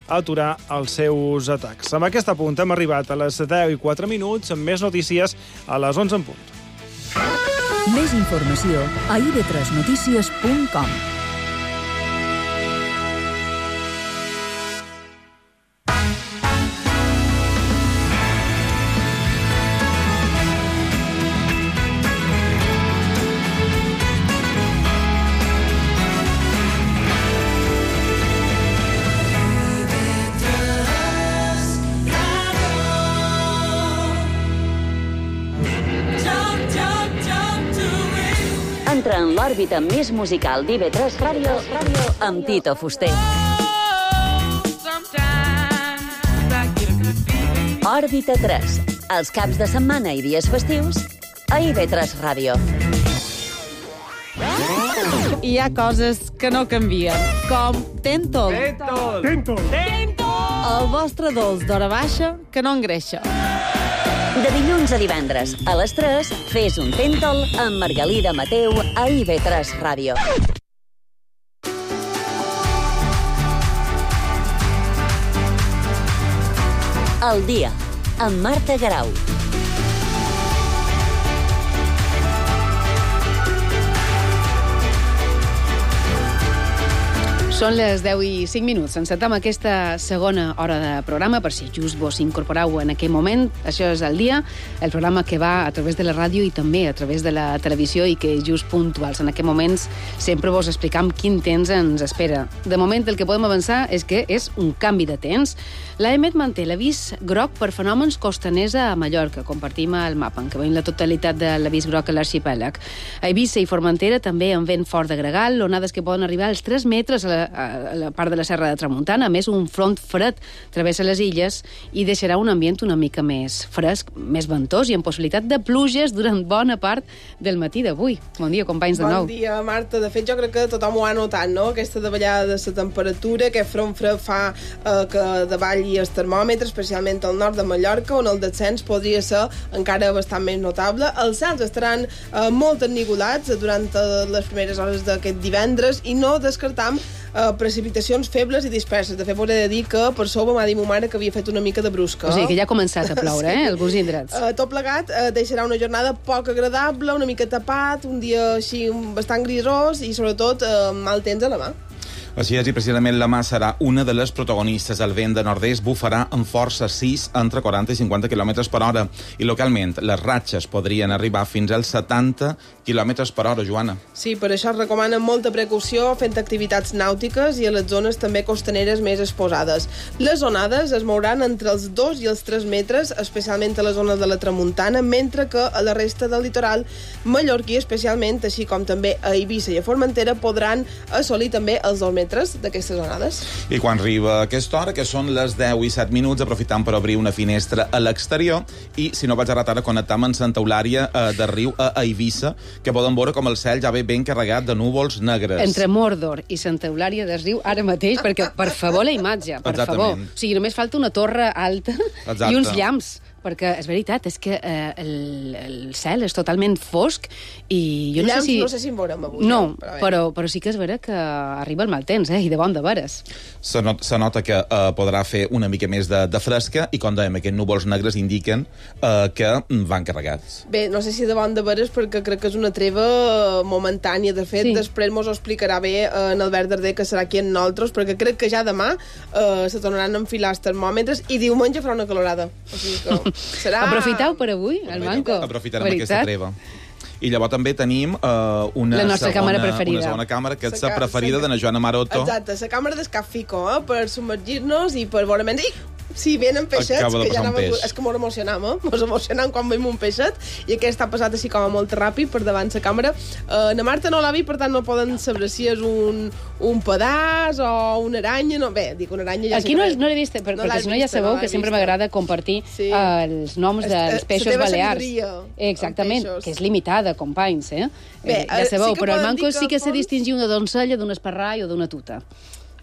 aturar els seus atacs. Amb aquest apunt hem arribat a les 10:04, amb més notícies a les 11 en punt. Més informació a ib3notícies.com. Entra en l'òrbita més musical d'IV3 Ràdio amb Tito Fuster. Òrbita 3, els caps de setmana i dies festius a IV3 Ràdio. Hi ha coses que no canvien, com Tentol. Tento! El vostre dolç d'hora baixa que no engreixa. De dilluns a divendres, a les 3, fes un Tentol amb Margalida Mateu a IV3 Ràdio. El dia, amb Marta Garau. Són les 10:05. Encetem aquesta segona hora de programa, per si just vos incorporeu en aquest moment. Això és El dia, el programa que va a través de la ràdio i també a través de la televisió i que just puntuals. En aquests moments sempre vos explicam quin temps ens espera. De moment el que podem avançar és que és un canvi de temps. L'AEMET manté l'avís groc per fenòmens costaners a Mallorca. Compartim el mapa en què veiem la totalitat de l'avís groc a l'arxipèlag. A Eivissa i Formentera també amb vent fort de gregal, onades que poden arribar als 3 metres a la part de la Serra de Tramuntana. A més, un front fred travessa les illes i deixarà un ambient una mica més fresc, més ventós i amb possibilitat de pluges durant bona part del matí d'avui. Bon dia, companys, de nou. Bon dia, Marta. De fet, jo crec que tothom ho ha notat, no? Aquesta davallada de la temperatura, aquest front fred fa que davalli el termòmetre, especialment al nord de Mallorca, on el descens podria ser encara bastant més notable. Els cels estaran molt ennivolats durant les primeres hores d'aquest divendres i no descartam precipitacions febles i disperses. De fet, m'hauré de dir que per sobre m'ha dit ma mare que havia fet una mica de brusca. O sigui, que ja ha començat a ploure, sí. Alguns indrets. Tot plegat deixarà una jornada poc agradable, una mica tapat, un dia així bastant grisós i sobretot mal temps a la mà. Així és, i precisament la mà serà una de les protagonistes. El vent de nord-est bufarà amb força 6 entre 40 i 50 km per hora. I localment, les ratxes podrien arribar fins als 70 km per hora, Joana. Sí, per això es recomana molta precaució fent activitats nàutiques i a les zones també costaneres més exposades. Les onades es mouran entre els 2 i els 3 metres, especialment a la zona de la Tramuntana, mentre que a la resta del litoral mallorquí, especialment, així com també a Eivissa i a Formentera, podran assolir també els 2 metres d'aquestes onades. I quan arriba aquesta hora, que són les 10:07, aprofitant per obrir una finestra a l'exterior i, si no vaig errat ara, connectam amb Santa Eulària de Riu a Eivissa, que poden veure com el cel ja ve ben carregat de núvols negres. Entre Mordor i Santa Eulària de Riu ara mateix, perquè, per favor, la imatge, per favor. O sigui, només falta una torre alta i uns llamps. Perquè és veritat, és que el cel és totalment fosc i jo no sé si en veurem avui. No, però sí que és vera que arriba el mal temps, i de bon de veres. Se nota que podrà fer una mica més de fresca i, com dèiem, aquests núvols negres indiquen que van carregats. Bé, no sé si de bon de veres perquè crec que és una treva momentània. De fet, després mos ho explicarà bé en Albert Darder, que serà aquí amb nosaltres, perquè crec que ja demà se tornaran a enfilar els termòmetres i diumenge farà una calorada. O sigui que serà... Aprofiteu per avui, el manco. Aprofitarem aquesta treva. I llavors també tenim una segona càmera, que és la preferida de la Joana Maroto. Exacte, la càmera d'Escap Fico, per submergir-nos i per veure menys... Sí, venen peixets, que ja és que mos emocionam, mos emocionam quan veiem un peixet, i aquest ha passat així com molt ràpid per davant la càmera. Na Marta no l'ha vist, per tant no poden saber si és un pedaç o una aranya, no, bé, dic una aranya... Aquí no l'he vist, perquè si no ja sabeu que sempre m'agrada compartir els noms dels peixos balears. Exactament, que és limitada, companys, ja sabeu, però el manco sí que se distingir una doncella d'un esparrall o d'una tuta.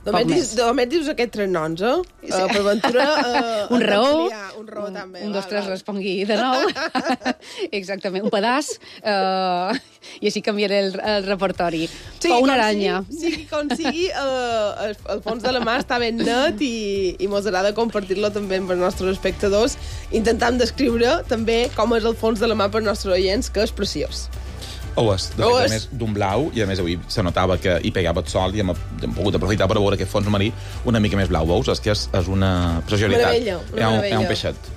Només dius aquests 3 noms, per ventura... un raó, un raó també. Un, dos, tres, respongui de nou. Exactament, un pedaç, i així canviaré el repertori. Sí, o una aranya. Sigui com sigui, el fons de la mà està ben net i mos agrada compartir-lo també amb els nostres espectadors, intentant descriure també com és el fons de la mà per als nostres oients, que és preciós. Ho és. De fet, a més, d'un blau, i a més avui se notava que hi pegava el sol i hem pogut aprofitar per veure aquest fons marí una mica més blau. Veus? És que és una preciositat. Meravella, una meravella. Hi ha un peixet.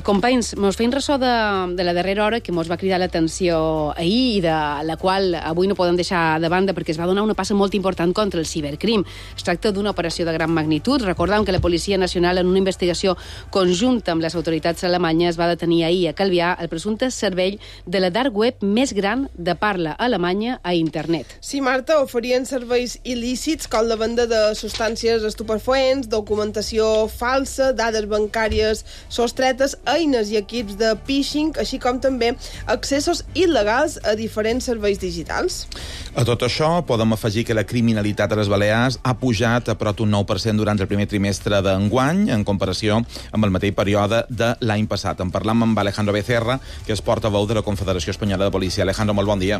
Companys, mos feim ressò de la darrera hora que mos va cridar l'atenció ahir i de la qual avui no podem deixar de banda perquè es va donar una passa molt important contra el cibercrim. Es tracta d'una operació de gran magnitud. Recordem que la Policia Nacional, en una investigació conjunta amb les autoritats alemanyes, va detenir ahir a Calvià el presumpte cervell de la dark web més gran de parla alemanya a internet. Sí, Marta, oferien serveis il·lícits com la venda de substàncies estupefaents, documentació falsa, dades bancàries sostretes, eines i equips de phishing, així com també accessos il·legals a diferents serveis digitals. A tot això podem afegir que la criminalitat a les Balears ha pujat a prop d'un 9% durant el primer trimestre d'enguany, en comparació amb el mateix període de l'any passat. En parlam amb Alejandro Becerra, que és portaveu de la Confederació Espanyola de Policia. Alejandro, molt bon dia.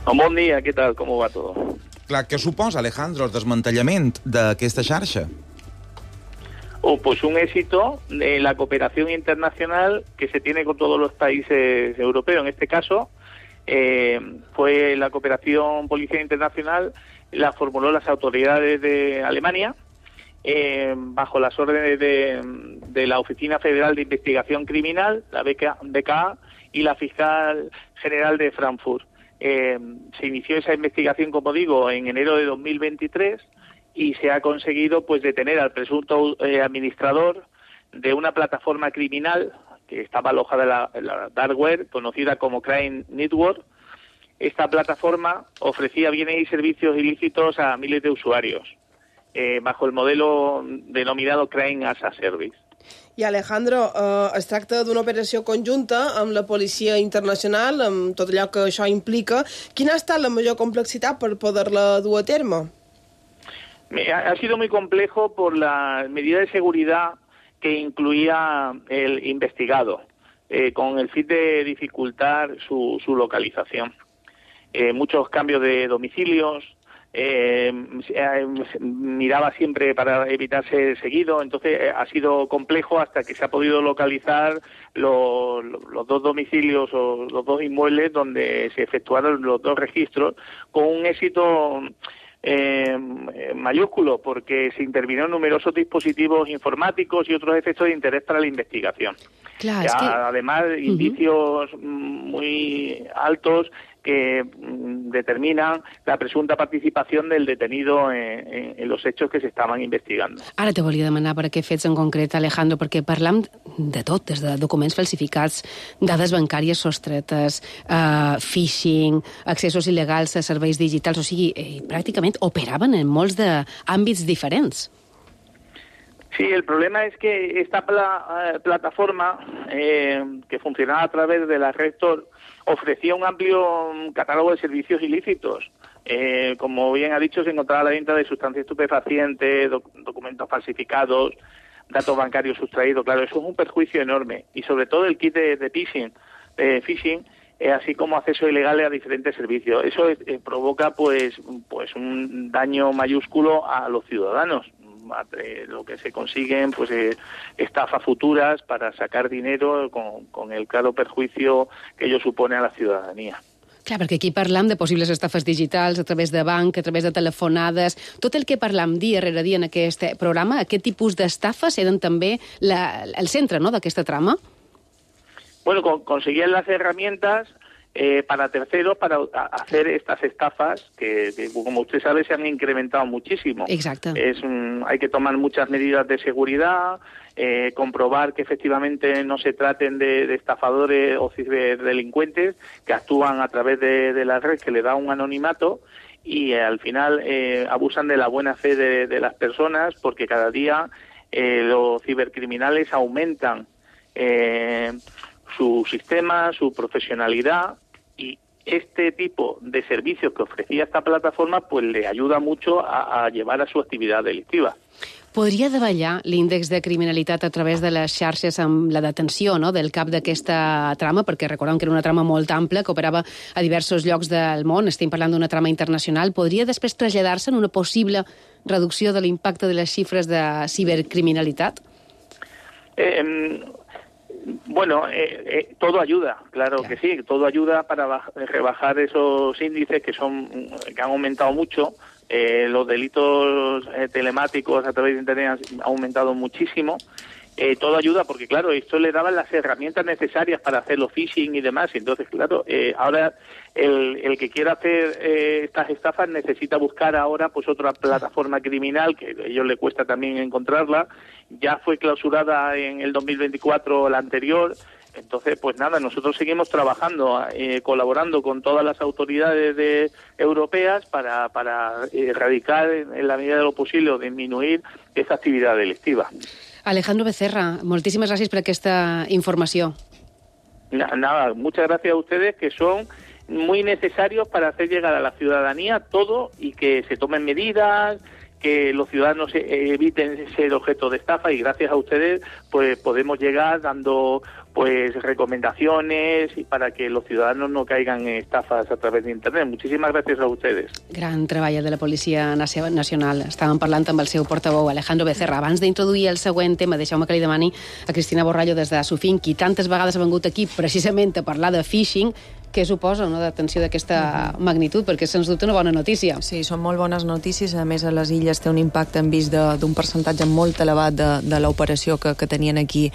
Bon dia, ¿qué tal? ¿Cómo va todo? Clar, què suposa, Alejandro, el desmantellament d'aquesta xarxa? Pues un éxito de la cooperación internacional que se tiene con todos los países europeos. En este caso, fue la cooperación policial internacional, la formuló las autoridades de Alemania, bajo las órdenes de la Oficina Federal de Investigación Criminal, la BKA, y la Fiscal General de Frankfurt. Se inició esa investigación, como digo, en enero de 2023, y se ha conseguido pues detener al presunto administrador de una plataforma criminal que estaba alojada en la dark web, conocida como Crime Network. Esta plataforma ofrecía bienes y servicios ilícitos a miles de usuarios, bajo el modelo denominado Crime as a Service. I Alejandro, es tracta d'una operació conjunta amb la Policia Internacional, amb tot allò que això implica. Quina ha estat la major complexitat per poder-la dur a terme? Ha sido muy complejo por la medida de seguridad que incluía el investigado, con el fin de dificultar su localización. Muchos cambios de domicilios, miraba siempre para evitar ser seguido, entonces ha sido complejo hasta que se ha podido localizar los dos domicilios o los dos inmuebles donde se efectuaron los dos registros, con un éxito mayúsculo, porque se intervinieron numerosos dispositivos informáticos y otros efectos de interés para la investigación. Claro, es que... Además, indicios muy altos que determinan la presunta participación del detenido en los hechos que se estaven investigando. Ara te volia demanar per aquests fets en concret, Alejandro, perquè parlam de tot, des de documents falsificats, dades bancàries sostretes, phishing, accessos il·legals a serveis digitals, o sigui, pràcticament operaven en molts d'àmbits diferents. Sí, el problema es que esta plataforma, que funcionaba a través de la red Tor, ofrecía un amplio catálogo de servicios ilícitos. Como bien ha dicho, se encontraba la venta de sustancias estupefacientes, documentos falsificados, datos bancarios sustraídos. Claro, eso es un perjuicio enorme. Y sobre todo el kit de phishing, así como acceso ilegal a diferentes servicios. Eso provoca pues un daño mayúsculo a los ciudadanos. Lo que se consiguen pues estafas futuras para sacar dinero con el claro perjuicio que ello supone a la ciudadanía. Clar, perquè aquí parlam de possibles estafes digitals a través de banc, a través de telefonades. Tot el que parlam dia rere dia en aquest programa, aquest tipus d'estafes eren també el centre, no?, d'aquesta trama? Bueno, conseguían las herramientas para terceros para hacer estas estafas que, como usted sabe, se han incrementado muchísimo. Exacto. Hay que tomar muchas medidas de seguridad, comprobar que efectivamente no se traten de estafadores o ciberdelincuentes que actúan a través de la red, que le da un anonimato, y al final abusan de la buena fe de las personas, porque cada día los cibercriminales aumentan su sistema, su profesionalidad, y este tipo de servicios que ofrecía esta plataforma pues le ayuda mucho a llevar a su actividad delictiva. Podria davallar l'índex de criminalitat a través de les xarxes amb la detenció, no?, del cap d'aquesta trama, perquè recordem que era una trama molt ampla, que operava a diversos llocs del món, estem parlant d'una trama internacional. Podria després traslladar-se en una possible reducció de l'impacte de les xifres de cibercriminalitat? Bueno, todo ayuda, claro que sí, todo ayuda para rebajar esos índices que han aumentado mucho. Los delitos telemáticos a través de Internet han aumentado muchísimo. Todo ayuda porque, claro, esto le daban las herramientas necesarias para hacer los phishing y demás. Entonces, claro, ahora el que quiera hacer estas estafas necesita buscar ahora pues otra plataforma criminal, que a ellos le cuesta también encontrarla. Ya fue clausurada en el 2024 la anterior. Entonces, pues nada, nosotros seguimos trabajando, colaborando con todas las autoridades europeas para erradicar en la medida de lo posible o disminuir esa actividad delictiva. Alejandro Becerra, moltíssimes gràcies per aquesta informació. Nada, muchas gracias a ustedes, que son muy necesarios para hacer llegar a la ciudadanía todo y que se tomen medidas, que los ciudadanos eviten ser objeto de estafa, y gracias a ustedes pues podemos llegar dando pues recomendaciones y para que los ciudadanos no caigan en estafas a través de Internet. Muchísimas gracias a ustedes. Gran treball de la Policia Nacional. Estàvem parlant amb el seu portaveu, Alejandro Becerra. Abans d'introduir el següent tema, deixeu-me que li demani a Cristina Borrallo des de Sofín, qui tantes vegades ha vengut aquí precisament a parlar de phishing. Què suposa una detenció d'aquesta magnitud? Perquè, sens dubte, una bona notícia. Sí, són molt bones notícies. A més, a les illes té un impacte, hem vist, d'un percentatge molt elevat de l'operació que tenien aquí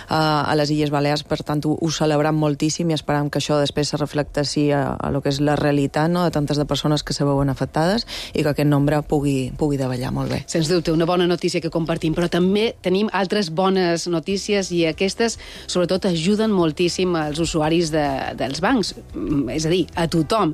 a les Illes Balears. Per tant, ho celebrem moltíssim i esperam que això després se reflecteixi a lo que és la realitat, no?, de tantes de persones que se veuen afectades i que aquest nombre pugui davallar molt bé. Sens dubte, una bona notícia que compartim, però també tenim altres bones notícies i aquestes, sobretot, ajuden moltíssim als usuaris dels bancs. És a dir, a tothom.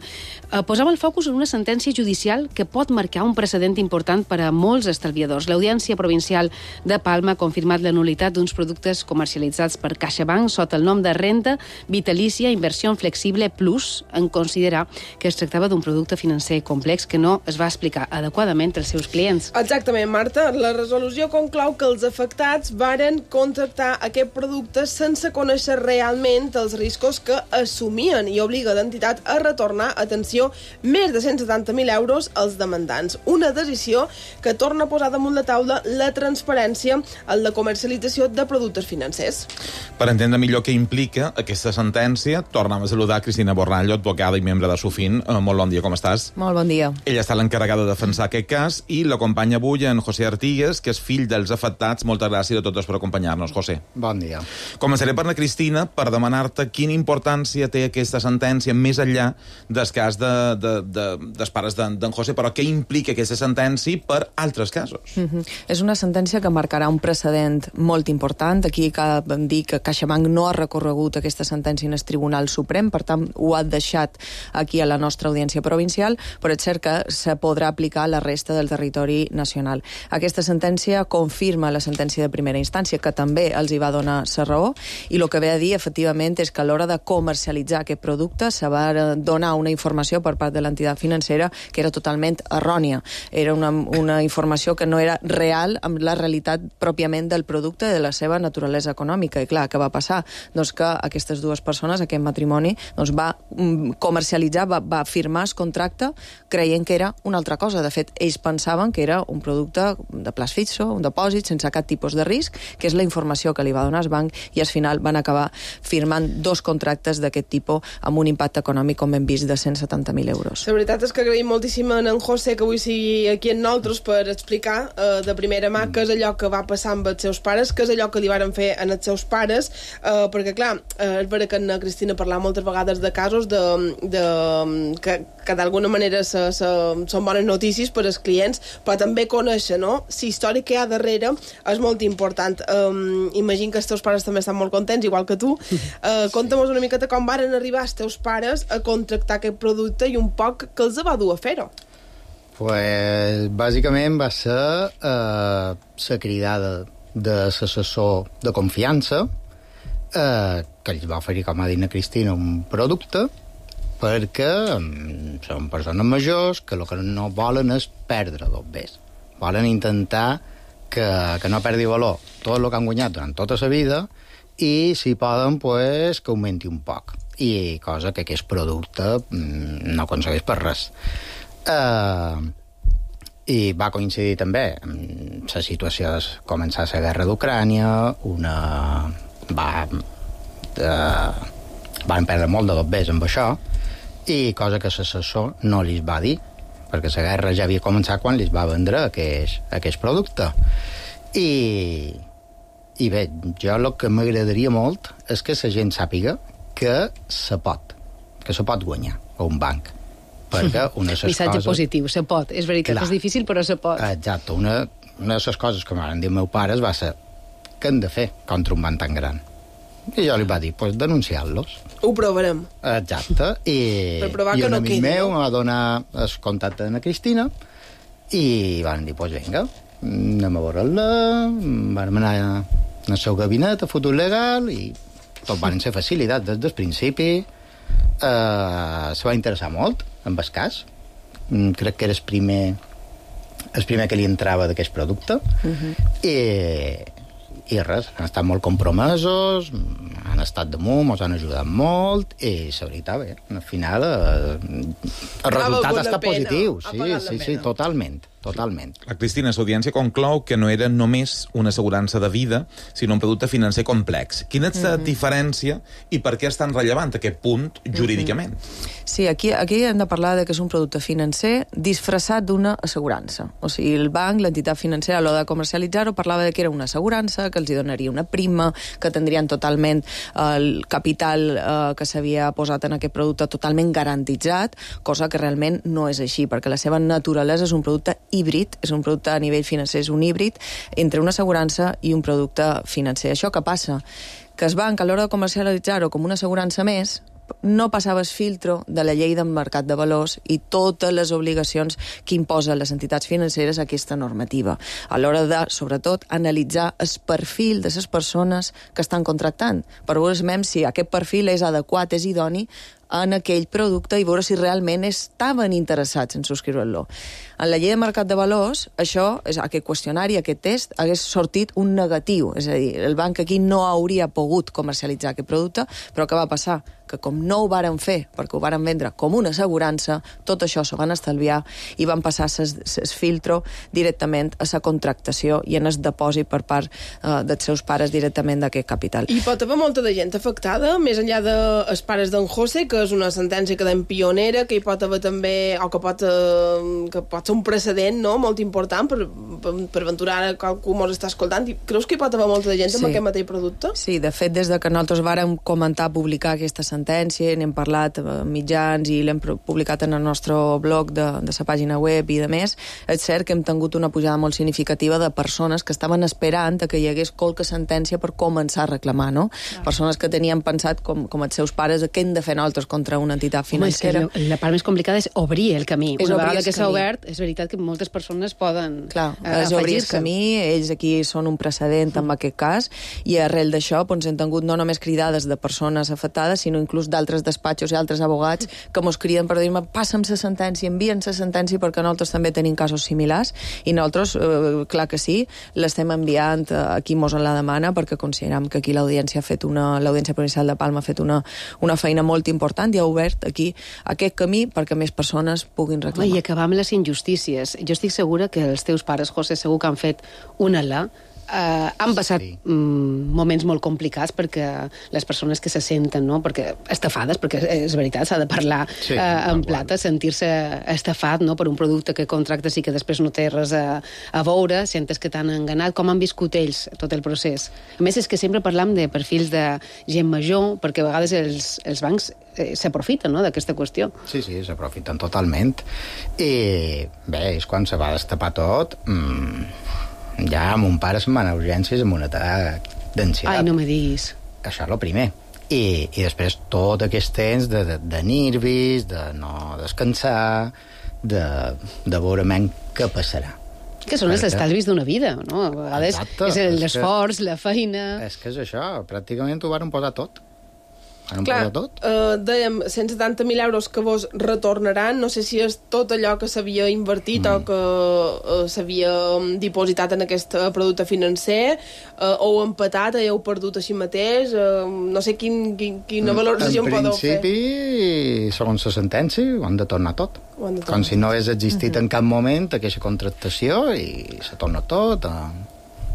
Posava el focus en una sentència judicial que pot marcar un precedent important per a molts estalviadors. L'Audiència Provincial de Palma ha confirmat la nul·litat d'uns productes comercialitzats per CaixaBank sota el nom de Renda Vitalícia Inversió Flexible Plus, en considerar que es tractava d'un producte financer complex que no es va explicar adequadament als seus clients. Exactament, Marta. La resolució conclou que els afectats varen contractar aquest producte sense conèixer realment els riscos que assumien i obliga l'entitat a retornar, atenció, més de 170.000 euros als demandants. Una decisió que torna a posar damunt la taula la transparència en la comercialització de productes financers. Per entendre millor què implica aquesta sentència, tornem a saludar Cristina Borrallo, advocada i membre de Sofín. Molt bon dia, com estàs? Molt bon dia. Ella està l'encarregada de defensar aquest cas i l'acompanya avui en José Artigues, que és fill dels afectats. Moltes gràcies a totes per acompanyar-nos, José. Bon dia. Començaré per la Cristina per demanar-te quina importància té aquesta sentència més enllà del cas dels pares d'en José, però què implica aquesta sentència per altres casos? És una sentència que marcarà un precedent molt important. Aquí cal dir que CaixaBank no ha recorregut aquesta sentència en el Tribunal Suprem, per tant ho ha deixat aquí a la nostra Audiència Provincial, però és cert que se podrà aplicar a la resta del territori nacional. Aquesta sentència confirma la sentència de primera instància, que també els hi va donar la raó, i el que ve a dir, efectivament, és que a l'hora de comercialitzar aquest producte se va donar una informació per part de l'entitat financera que era totalment errònia. Era una informació que no era real amb la realitat pròpiament del producte i de la seva naturalesa econòmica. I clar, què va passar? Doncs que aquestes dues persones, aquest matrimoni, doncs va comercialitzar, va firmar el contracte creient que era una altra cosa. De fet, ells pensaven que era un producte de plaç fixo, un depòsit sense cap tipus de risc, que és la informació que li va donar el banc, i al final van acabar firmant dos contractes d'aquest tipus amb un impacte econòmic, com hem vist, de 170.000 euros. La veritat és que agraïm moltíssim a en José que avui sigui aquí amb nosaltres per explicar de primera mà què és allò que va passar amb els seus pares, què és allò que li varen fer en els seus pares, perquè clar, és vera que en Cristina parla moltes vegades de casos que d'alguna manera són bones notícies per als clients, però també conèixer, no?, la història que hi ha darrere és molt important. Imagino que els teus pares també estan molt contents, igual que tu. Conta'm una miqueta com varen arribar els teus pares a contractar aquest producte i un poc que els va dur a fer-ho. Pues, bàsicament va ser la cridada de l'assessor de confiança que ells va oferir, com ha dit la Cristina, un producte perquè són persones majors que el que no volen és perdre dos bés. Volen intentar que no perdi valor tot el que han guanyat durant tota la vida i, si poden, pues, que augmenti un poc. I cosa que aquest producte no aconsegueix per res. I va coincidir també amb la situació de començar la guerra d'Ucrània, van perdre molt de dos bés amb això, i cosa que l'assessor no li va dir, perquè la guerra ja havia començat quan li va vendre aquest producte. I bé, jo el que m'agradaria molt és que la gent sàpiga que se pot guanyar a un banc. Perquè una de les missatge coses... positiu, se pot. És veritat, Clar. és difícil, però se pot. Exacte. Una de les coses que m'han dit meus pares va ser què hem de fer contra un banc tan gran? I jo li va dir, pues denunciar-los. Ho provarem. Exacte. Per provar que no quedi, un amic meu no? em va donar el contacte de la Cristina i van dir, pues vinga, anem a veure-la, vam anar al seu gabinet a futur legal i tot van ser facilitats des del principi. Se va interessar molt amb el cas. Crec que era el primer que li entrava d'aquest producte. I res, han estat molt compromesos, han estat damunt, ens han ajudat molt, i la veritat, bé, al final el resultat ha estat positiu. Sí, totalment. La Cristina, l'audiència conclou que no era només una assegurança de vida, sinó un producte financer complex. Quina és la diferència i per què és tan rellevant aquest punt jurídicament? Sí, aquí hem de parlar de que és un producte financer disfressat d'una assegurança. O sigui, el banc, l'entitat financera, a l'hora de comercialitzar-ho, parlava de que era una assegurança, que els hi donaria una prima, que tindrien totalment el capital que s'havia posat en aquest producte totalment garantitzat, cosa que realment no és així, perquè la seva naturalesa és un producte híbrid, és un producte a nivell financer, és un híbrid entre una assegurança i un producte financer. Això què passa? Que el banc, a l'hora de comercialitzar-ho com una assegurança més, no passava el filtro de la llei del mercat de valors i totes les obligacions que imposen les entitats financeres a aquesta normativa. A l'hora de, sobretot, analitzar el perfil de les persones que estan contractant, per veure si aquest perfil és adequat, és idoni en aquell producte i veure si realment estaven interessats en subscriure-lo. En la llei de mercat de valors, això, aquest qüestionari, aquest test, hagués sortit un negatiu. És a dir, el banc aquí no hauria pogut comercialitzar aquest producte, però què va passar? Que com no ho varen fer, perquè ho varen vendre com una assegurança, tot això s'ho van estalviar i van passar el filtro directament a la contractació i en el depòsit per part dels seus pares directament d'aquest capital. I pot haver molta de gent afectada, més enllà dels pares d'en José, que és una sentència que d'en pionera, que hi pot haver també, o que pot ser un precedent, no?, molt important per aventurar a qualcú mos està escoltant. I creus que hi pot haver molta de gent amb aquest mateix producte? Sí, de fet, des de que nosaltres vàrem comentar, publicar aquesta sentència, n'hem parlat a mitjans i l'hem publicat en el nostre blog de la pàgina web i de més, és cert que hem tingut una pujada molt significativa de persones que estaven esperant que hi hagués qualque sentència per començar a reclamar, no? Persones que tenien pensat, com els seus pares, què hem de fer nosaltres contra una entitat financera. Home, és que la part més complicada és obrir el camí. Una vegada que s'ha obert, és veritat que moltes persones poden és obrir el camí, ells aquí són un precedent en aquest cas, i arrel d'això hem tingut no només cridades de persones afectades, sinó inclús d'altres despatxos i altres abogats que mos criden per dir-me, passa'm la sentència, envia'm la sentència, perquè nosaltres també tenim casos similars, i nosaltres, clar que sí, l'estem enviant a qui mos en la demana, perquè considerem que aquí l'Audiència Provincial de Palma ha fet una feina molt important i ha obert aquí aquest camí perquè més persones puguin reclamar. I acabar amb les injustícies. Jo estic segura que els teus pares, José, segur que han fet una alà. Han passat moments molt complicats perquè les persones que se senten, no?, perquè estafades, perquè és veritat, s'ha de parlar en plata, sentir-se estafat, no?, per un producte que contractes i que després no té res a veure, sentes que t'han enganat. Com han viscut ells tot el procés? A més, és que sempre parlam de perfils de gent major, perquè a vegades els bancs s'aprofiten, no?, d'aquesta qüestió. Sí, s'aprofiten totalment. I bé, és quan se va destapar tot... Ja mon pare se'n va anar a urgències amb un atac d'ansietat. Ai, no me diguis. Això és el primer. I després tot aquest temps de nervis, de no descansar, de veure què passarà. Que són els estalvis d'una vida, no? A vegades és l'esforç, la feina... És que és això, pràcticament ho varen posar tot. Clar, dèiem, 170.000 euros que vos retornaran, no sé si és tot allò que s'havia invertit o que s'havia dipositat en aquest producte financer, o empatat, heu perdut així mateix, no sé quina valoració en podeu fer. En principi, segons la sentència, ho han de tornar tot. Com si no hagués existit en cap moment aquesta contractació i se torna tot,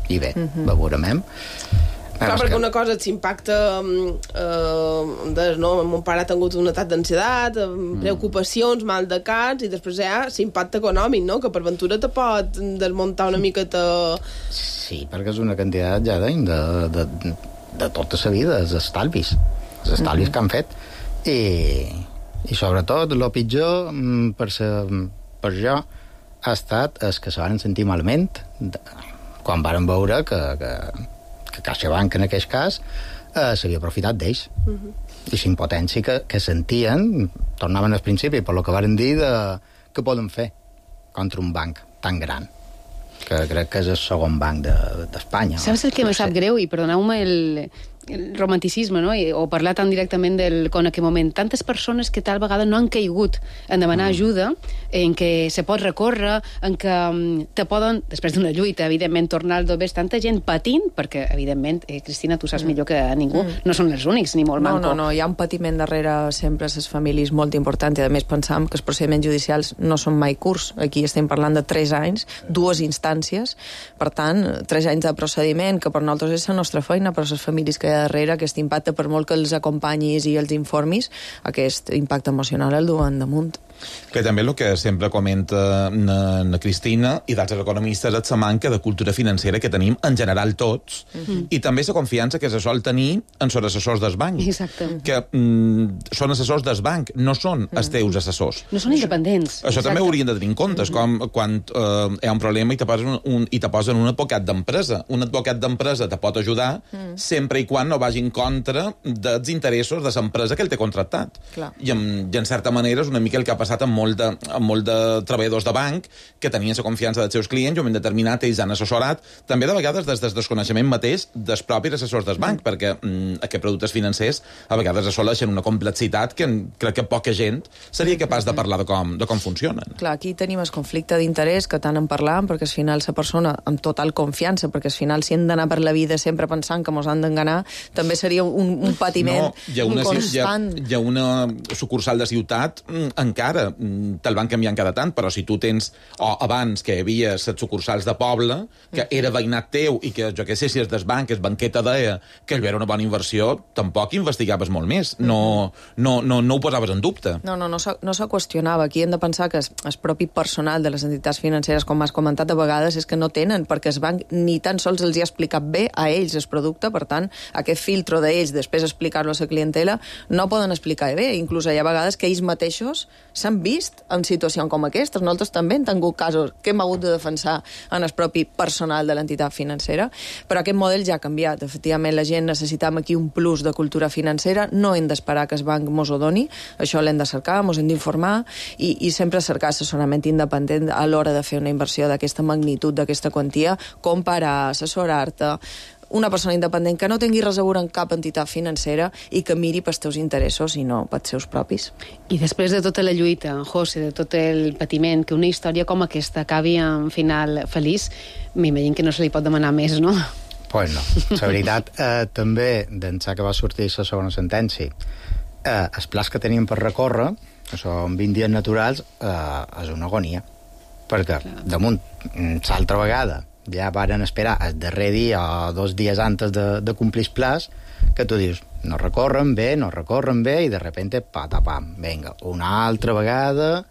i bé, veurem. Clar, perquè una cosa és l'impacte mon pare ha tingut un atac d'ansietat, preocupacions, mal de caps, i després hi ha l'impacte econòmic, no? Que per ventura te pot desmuntar una miqueta... Sí, perquè és una quantitat ja de tota la vida, els estalvis que han fet, i sobretot el pitjor per jo ha estat els que se van sentir malament quan varen veure que CaixaBank, en aquest cas, s'havia aprofitat d'ells. I la impotència que sentien, tornaven al principi, per lo que varen dir que poden fer contra un banc tan gran, que crec que és el segon banc d'Espanya. Saps el que me sap greu? I perdoneu-me el romanticisme, no? O parlar tan directament en aquell moment. Tantes persones que tal vegada no han caigut en demanar ajuda, en què se pot recórrer, en què te poden, després d'una lluita, evidentment, tornar al dobés. Tanta gent patint, perquè, evidentment, Cristina, tu saps millor que ningú, no són els únics, ni molt manco. No, hi ha un patiment darrere sempre a les famílies molt important, i a més pensam que els procediments judicials no són mai curts. Aquí estem parlant de 3 anys, 2 instàncies, per tant, 3 anys de procediment, que per nosaltres és la nostra feina, però les famílies que darrere, aquest impacte, per molt que els acompanyis i els informis, aquest impacte emocional el duen damunt. Que també el que sempre comenta na Cristina i d'altres economistes és la manca de cultura financera que tenim en general tots, i també la confiança que se sol tenir en els assessors del banc. Exacte. Que són assessors del banc, no són els teus assessors. No són independents. Això també ho haurien de tenir en compte, com quan hi ha un problema i te posen un advocat d'empresa. Un advocat d'empresa te pot ajudar sempre i quan no vagi en contra dels interessos de l'empresa que el té contractat. I en certa manera és una mica el que ha passat amb molt de treballadors de banc que tenien la confiança dels seus clients i un moment determinat ells han assessorat, també de vegades des del desconeixement mateix dels propis assessors del banc, perquè aquests productes financers a vegades assoleixen una complexitat que crec que poca gent seria capaç de parlar de com funcionen. Clar, aquí tenim el conflicte d'interès que tant en parlàvem, perquè al final la persona amb total confiança, perquè al final si hem d'anar per la vida sempre pensant que mos han d'enganar, també seria un patiment constant. Hi ha una sucursal de ciutat encara te'l van canviant cada tant, però si tu tens, o abans que hi havia les sucursals de poble, que era veïnat teu i que, jo què sé, si és del banc, és banqueta deia que allò era una bona inversió, tampoc investigaves molt més, no ho posaves en dubte. No se qüestionava. Aquí hem de pensar que el propi personal de les entitats financeres, com has comentat a vegades, és que no tenen, perquè el banc ni tan sols els hi ha explicat bé a ells el producte, per tant, aquest filtro d'ells, després explicar-lo a la clientela, no poden explicar bé. Inclús hi ha vegades que ells mateixos s'han vist en situacions com aquestes. Nosaltres també hem tingut casos que hem hagut de defensar en el propi personal de l'entitat financera, però aquest model ja ha canviat. Efectivament, la gent necessitam aquí un plus de cultura financera, no hem d'esperar que el banc mos ho doni, això l'hem de cercar, mos hem d'informar i sempre cercar assessorament independent a l'hora de fer una inversió d'aquesta magnitud, d'aquesta quantia, comparar, assessorar-te, una persona independent que no tingui res a veure en cap entitat financera i que miri pels teus interessos i no pels seus propis. I després de tota la lluita, José, de tot el patiment, que una història com aquesta acabi en final feliç, m'imagino que no se li pot demanar més, no? Pues no. La veritat, també, d'ençà que va sortir la segona sentència, els plans que teníem per recórrer, que són 20 dies naturals, és una agonia. Perquè, damunt, l'altra vegada, ja varen esperar el darrer dia o 2 dies antes de complir el plaç, que tu dius, no recorren bé, i de repente, patapam, vinga, una altra vegada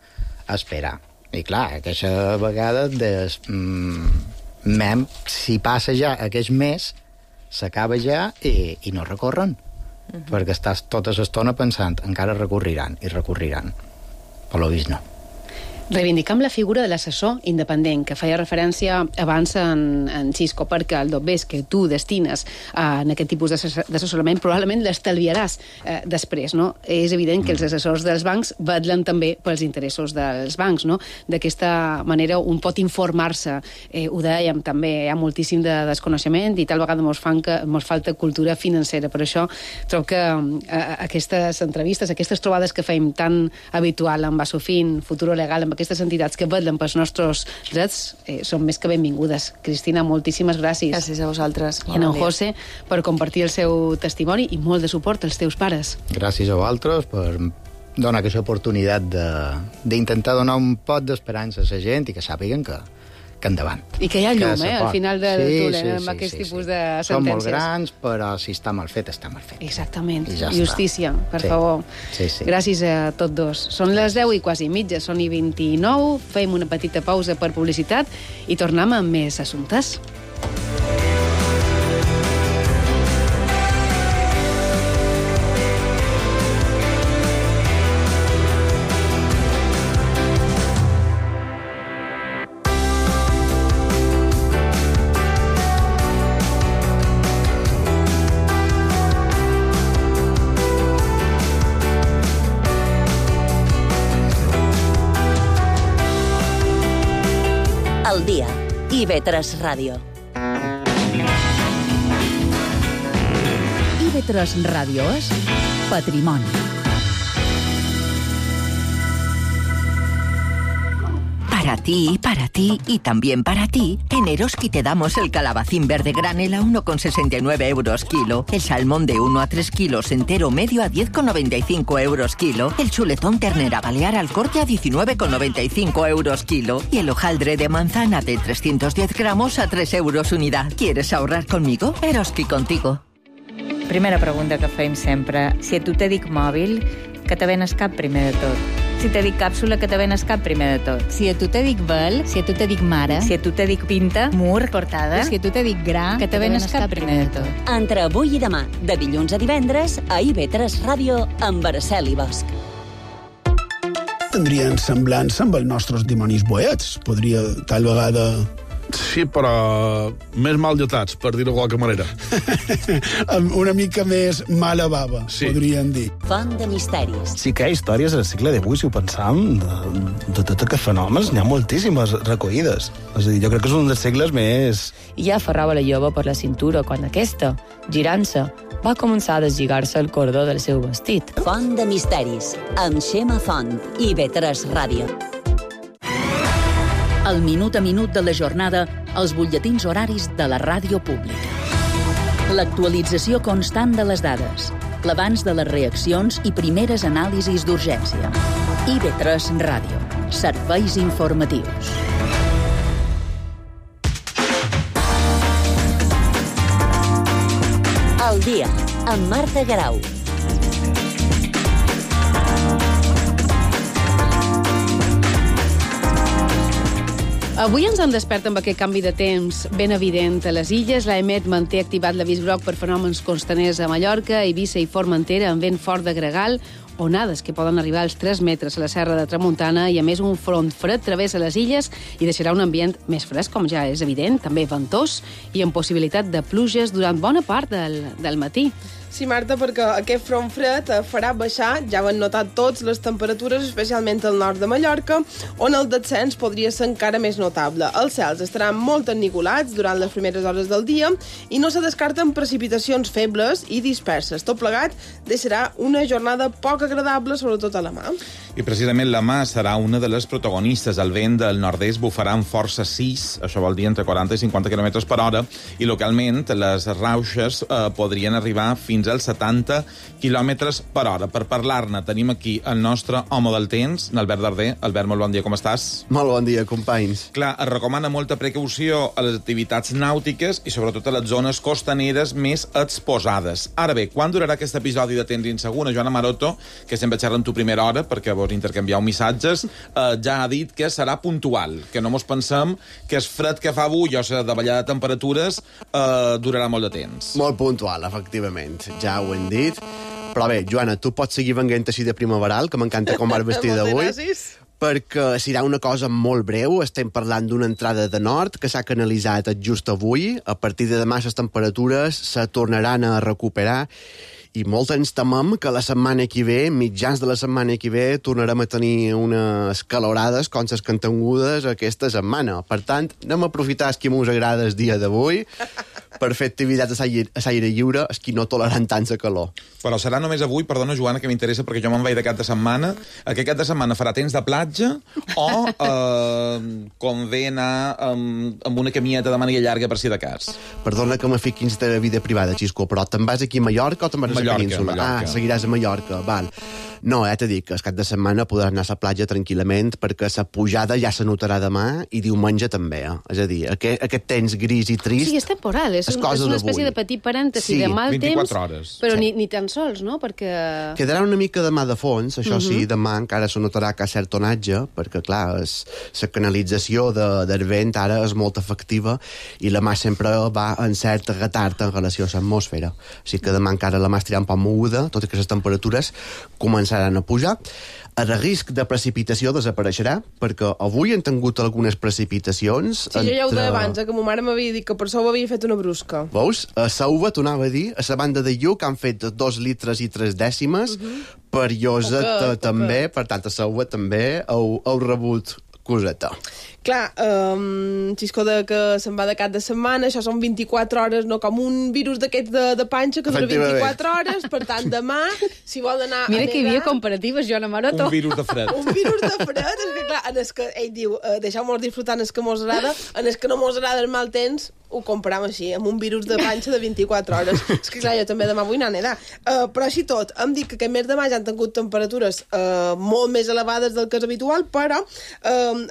a esperar. I clar, aquesta vegada si passa ja aquest mes, s'acaba ja i no recorren, perquè estàs tota l'estona pensant, encara recorriran. Per lo vist no. Reivindicam la figura de l'assessor independent, que feia referència abans en Xisco, perquè el dobbers que tu destines en aquest tipus d'assessorament probablement l'estalviaràs després, no? És evident que els assessors dels bancs vetllen també pels interessos dels bancs, no? D'aquesta manera un pot informar-se. Ho dèiem també, hi ha moltíssim de desconeixement i tal vegada mos falta cultura financera. Per això trobo que aquestes entrevistes, aquestes trobades que fem tan habitual amb Basofin, Futuro Legal, amb aquestes entitats que vetllen pels nostres drets, són més que benvingudes. Cristina, moltíssimes gràcies. Gràcies a vosaltres. I a en José per compartir el seu testimoni i molt de suport als teus pares. Gràcies a vosaltres per donar aquesta oportunitat d'intentar donar un pot d'esperança a la gent i que sàpiguen que endavant. I que hi ha llum, al final del túnel, amb aquest tipus de sentències. Són molt grans, però si està mal fet, està mal fet. Exactament. Justícia, per favor. Sí. Gràcies a tots dos. Són les 10:15, són 29, fem una petita pausa per publicitat i tornem amb més assumptes. El dia. IB3 Ràdio. IB3 Ràdio és patrimoni. Para ti y también para ti, en Eroski te damos el calabacín verde granel a 1,69 euros kilo, el salmón de 1 a 3 kilos entero medio a 10,95 euros kilo, el chuletón ternera balear al corte a 19,95 euros kilo y el hojaldre de manzana de 310 gramos a 3 euros unidad. ¿Quieres ahorrar conmigo? Eroski contigo. Primera pregunta que fem sempre. Si a tu te dic mòbil, que te venes cap primer de tot. Si te dic càpsula, que te venes cap primer de tot. Si a tu te dic vel, si a tu te dic mare, si a tu te dic pinta, mur, portada, si a tu te dic gra, que te venes cap primer de tot. Entre avui i demà, de dilluns a divendres, a IB3 Ràdio, amb Araceli Bosch. Tindrien semblança amb els nostres dimonis boets. Podria, tal vegada... Sí, però més mal dotats, per dir-ho de qualque manera. Una mica més mala bava, sí. Podríem dir. Font de misteris. Sí que hi ha històries al segle XVIII, si ho pensam, de tots aquests fenòmens, n'hi ha moltíssimes recollides. És a dir, jo crec que és un dels segles més... I ja aferrava la jove per la cintura quan aquesta, girant-se, va començar a deslligar-se el cordó del seu vestit. Font de misteris, amb Xema Font, IB3 Ràdio. El minut a minut de la jornada, els butlletins horaris de la ràdio pública. L'actualització constant de les dades, l'abans de les reaccions i primeres anàlisis d'urgència. IB3 Ràdio. Serveis informatius. El dia, amb Marta Garau. Avui ens hem despertat amb aquest canvi de temps ben evident a les illes. L'AEMET manté activat l'avís groc per fenòmens costaners a Mallorca, Eivissa i Formentera, amb vent fort de gregal, onades que poden arribar als 3 metres a la serra de Tramuntana i, a més, un front fred travessa les illes i deixarà un ambient més fresc, com ja és evident, també ventós i amb possibilitat de pluges durant bona part del matí. Sí, Marta, perquè aquest front fred farà baixar, ja ho han notat tots, les temperatures, especialment al nord de Mallorca, on el descens podria ser encara més notable. Els cels estaran molt enniculats durant les primeres hores del dia i no se descarten precipitacions febles i disperses. Tot plegat deixarà una jornada poc agradable, sobretot a la mà. I precisament la mà serà una de les protagonistes. El vent del nord-est bufarà amb força 6, això vol dir entre 40 i 50 km per hora, i localment les rauxes podrien arribar fins als 70 km per hora. Per parlar-ne tenim aquí el nostre home del temps, Albert Darder. Albert, molt bon dia, com estàs? Molt bon dia, companys. Clar, es recomana molta precaució a les activitats nàutiques i sobretot a les zones costaneres més exposades. Ara bé, quan durarà aquest episodi de temps insegur? Joana Maroto, que sempre xerra en tu primera hora perquè vos intercanvieu missatges, ja ha dit que serà puntual, que no mos pensem que el fred que fa avui o la davallada de temperatures durarà molt de temps. Molt puntual, efectivament. Ja ho hem dit. Però bé, Joana, tu pots seguir venint així de primaveral, que m'encanta com vas vestir d'avui. perquè serà una cosa molt breu. Estem parlant d'una entrada de nord que s'ha canalitzat just avui. A partir de demà les temperatures se tornaran a recuperar i molt ens temem que la setmana que ve, mitjans de la setmana que ve, tornarem a tenir unes calorades com les que han tingudes aquesta setmana. Per tant, anem a aprofitar el que ens agrada el dia d'avui per fer activitats a l'aire lliure, els que no toleren tant la calor. Però serà només avui, perdona, Joana, que m'interessa, perquè jo me'n vaig de cap de setmana. Aquest cap de setmana farà temps de platja o convé anar amb una camieta de màniga llarga per si de cas? Perdona que me fiquis de vida privada, Xisco, però te'n vas aquí a Mallorca o te'n vas a la península? Mallorca. Seguiràs a Mallorca, val. No, t'he dit que el cap de setmana podràs anar a la platja tranquil·lament perquè la pujada ja se notarà demà i diumenge també. És a dir, aquest temps gris i trist... Sí, és temporal, és una espècie de petit parèntesi de mal temps, hores. Però ni tan sols, no? Perquè... Quedarà una mica de mà de fons, això sí, demà encara se notarà que hi ha cert tonatge, perquè, clar, la canalització del vent ara és molt efectiva i la mà sempre va en cert retard en relació a l'atmosfera. Així que demà encara la mà estirà un poc moguda, tot i que les temperatures començaran a pujar. El risc de precipitació desapareixerà, perquè avui han tingut algunes precipitacions... Sí, jo ja ho deia abans, que ma mare m'havia dit que per això ho havia fet una brusca. Veus? A Sauva, t'ho anava a dir, a la banda de Lluc han fet 2 litres i 3 dècimes, per Llosa també, per tant, a Sauva també heu rebut coseta. Clar, Xisco que se'n va de cap de setmana, això són 24 hores, no com un virus d'aquests de panxa que dura 24 hores, per tant, demà, si vol anar Mira a que hi havia comparatives, Joana Maroto. Un virus de fred. Un virus de fred, és que clar, en el que ell diu, deixeu-nos disfrutar en el que mos agrada, en el que no mos agrada el mal temps, ho comparem així, amb un virus de panxa de 24 hores. És que clar, jo també demà vull anar a nedar. Però així tot, em dic que aquest mes de maig han tingut temperatures molt més elevades del que és habitual, però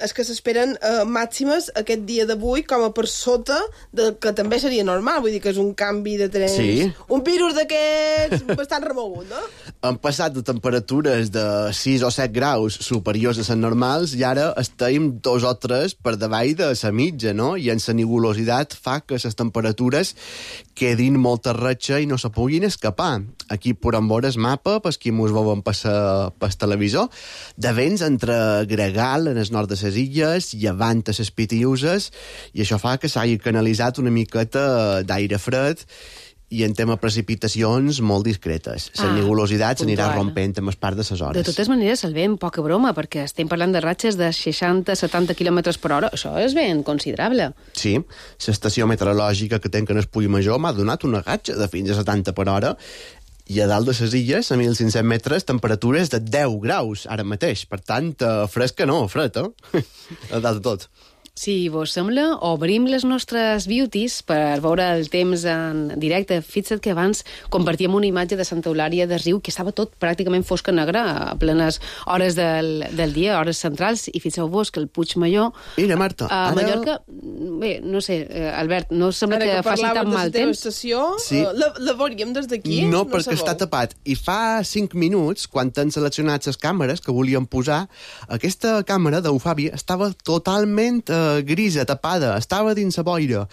és que s'esperen màximes aquest dia d'avui com a per sota del que també seria normal, vull dir que és un canvi de temps, sí. Un virus d'aquests bastant remogut, no? Han passat de temperatures de 6 o 7 graus superiors a les normals i ara estem 2 o 3 per davall de la mitja, no? I en la nubulositat fa que les temperatures quedin molta ratxa i no se puguin escapar. Aquí podem veure el mapa, per qui mos veuen pel televisor, de vents entre Gregal, en el nord de les illes, llevant a les Pitiuses, i això fa que s'hagi canalitzat una miqueta d'aire fred i en tema precipitacions molt discretes. La nubulositat s'anirà rompent amb el pas de les hores. De totes maneres, el vent, poca broma, perquè estem parlant de ratxes de 60-70 km per hora. Això és ben considerable. Sí, l'estació meteorològica que tenc en el Puig Major m'ha donat una ratxa de fins a 70 per hora i a dalt de les illes, a 1.500 metres, temperatures de 10 graus ara mateix. Per tant, fred que no, fred, a dalt de tot. Si vos sembla, obrim les nostres beauties per veure el temps en directe. Fixa't que abans compartíem una imatge de Santa Eulària de Riu que estava tot pràcticament fosc a negre a plenes hores del dia, hores centrals, i fixeu-vos que el Puig Major... Mira, Marta, a Mallorca, bé, no sé, Albert, no sembla que faci tan mal temps. Estació, sí. La veuríem des d'aquí? No, perquè està tapat. I fa 5 minuts, quan han seleccionat les càmeres que volien posar, aquesta càmera d'Eufàbia estava totalment grisa, tapada, estava dins la boira.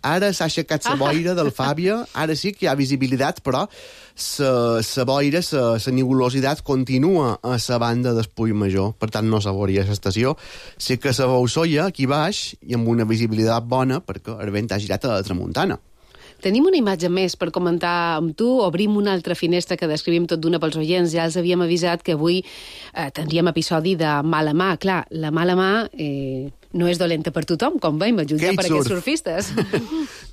Ara s'ha aixecat la boira del Fàbia, ara sí que hi ha visibilitat, però la boira, la nubulositat continua a la banda del Puig Major, per tant no se veuria l'estació. Sí que se veu soia aquí baix i amb una visibilitat bona perquè el vent ha girat a la tramuntana. Tenim una imatge més per comentar amb tu. Obrim una altra finestra que descrivim tot d'una pels oients. Ja els havíem avisat que avui tindríem episodi de mala mà. Clar, la mala mà no és dolenta per tothom, com veiem, a jutjar per aquests surfistes.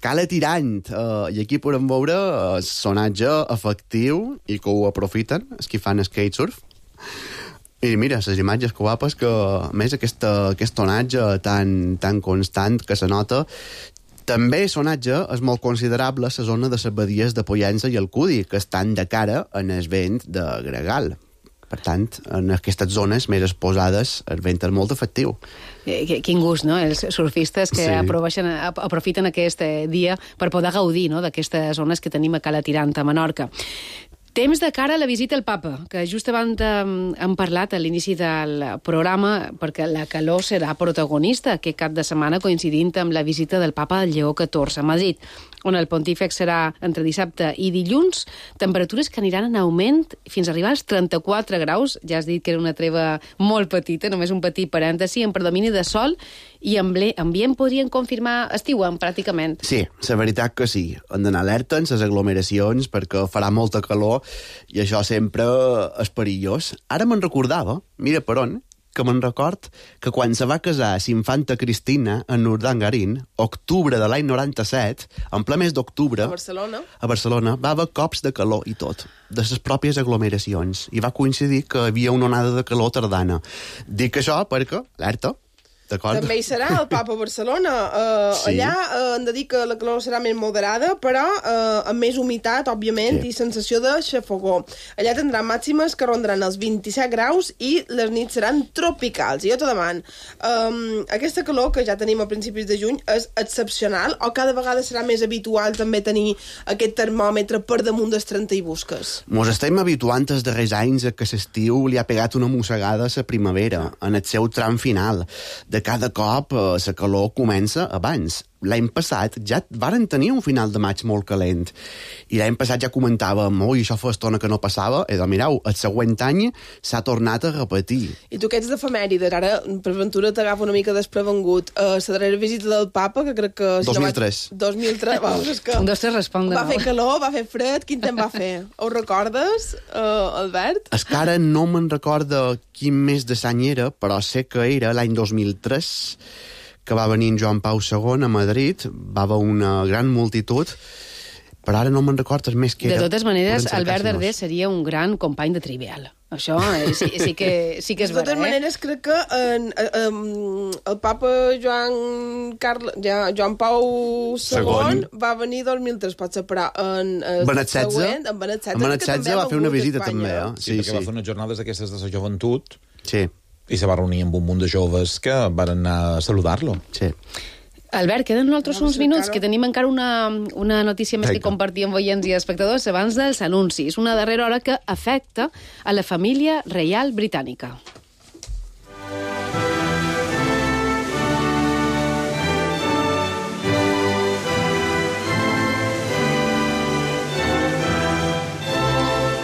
Cala tirant. I aquí podem veure el sonatge efectiu i que ho aprofiten, els que fan skatesurf. I mira, les imatges que guapes, que a més aquest tonatge tan constant que se nota. També sonatge és molt considerable la zona de les badies de Pollença i el Cudi, que estan de cara en el vent de Gregal. Per tant, en aquestes zones més exposades el vent és molt efectiu. Quin gust, no?, els surfistes que aprofiten aquest dia per poder gaudir, no?, d'aquestes zones que tenim a Cala Tirant, a Menorca. Temps de cara a la visita al papa, que just abans hem parlat a l'inici del programa, perquè la calor serà protagonista aquest cap de setmana coincidint amb la visita del papa Lleó XIV a Madrid, on el pontífex serà entre dissabte i dilluns, temperatures que aniran en augment fins a arribar als 34 graus. Ja has dit que era una treva molt petita, només un petit parèntesi, en predomini de sol i ambient podrien confirmar estiuem, pràcticament. Sí, la veritat que sí. Hem d'anar alerta en les aglomeracions perquè farà molta calor i això sempre és perillós. Ara me'n recordava, mira per on, que me'n record que quan se va casar l'infanta Cristina en Urdangarín, octubre de l'any 97, en ple mes d'octubre, a Barcelona, va haver cops de calor i tot, de les pròpies aglomeracions, i va coincidir que hi havia una onada de calor tardana. Dic això perquè, alerta, d'acord? També hi serà el papa a Barcelona. Sí. Allà hem de dir que la calor serà més moderada, però amb més humitat, òbviament, i sensació de xafogó. Allà tindran màximes que rondaran els 27 graus i les nits seran tropicals. I jo te demano, aquesta calor que ja tenim a principis de juny és excepcional o cada vegada serà més habitual també tenir aquest termòmetre per damunt dels 30 i busques? Mos estem habituant els darrers anys a que l'estiu li ha pegat una mossegada a la primavera, en el seu tram final. De cada cop la calor comença abans. L'any passat ja varen tenir un final de maig molt calent. I l'any passat ja comentàvem, i això fa estona que no passava, i mireu, el següent any s'ha tornat a repetir. I tu que ets d'efemèrides, ara per ventura t'agafa una mica desprevengut. La darrera visita del papa, que crec que... 2003. 2003, és que... Un, dos, tres, respon de nou. Va fer calor, va fer fred, quin temps va fer? Ho recordes, Albert? És que ara no me'n recorda quin mes de l'any era, però sé que era l'any 2003, que va venir en Joan Pau II a Madrid, va haver una gran multitud, però ara no me'n recordes més que era. De totes maneres, Albert Darder seria un gran company de Trivial. Això sí que és vera. De totes maneres, crec que el papa Joan Pau II va venir 2003, potser, però en Benet XVI va fer una visita també. Sí, perquè va fer unes jornades d'aquestes de la joventut. Sí. I se va reunir amb un munt de joves que van anar a saludar-lo. Sí. Albert, queden nosaltres uns minuts, que tenim encara una notícia més que compartir amb oients i espectadors abans dels anuncis. Una darrera hora que afecta a la família reial britànica.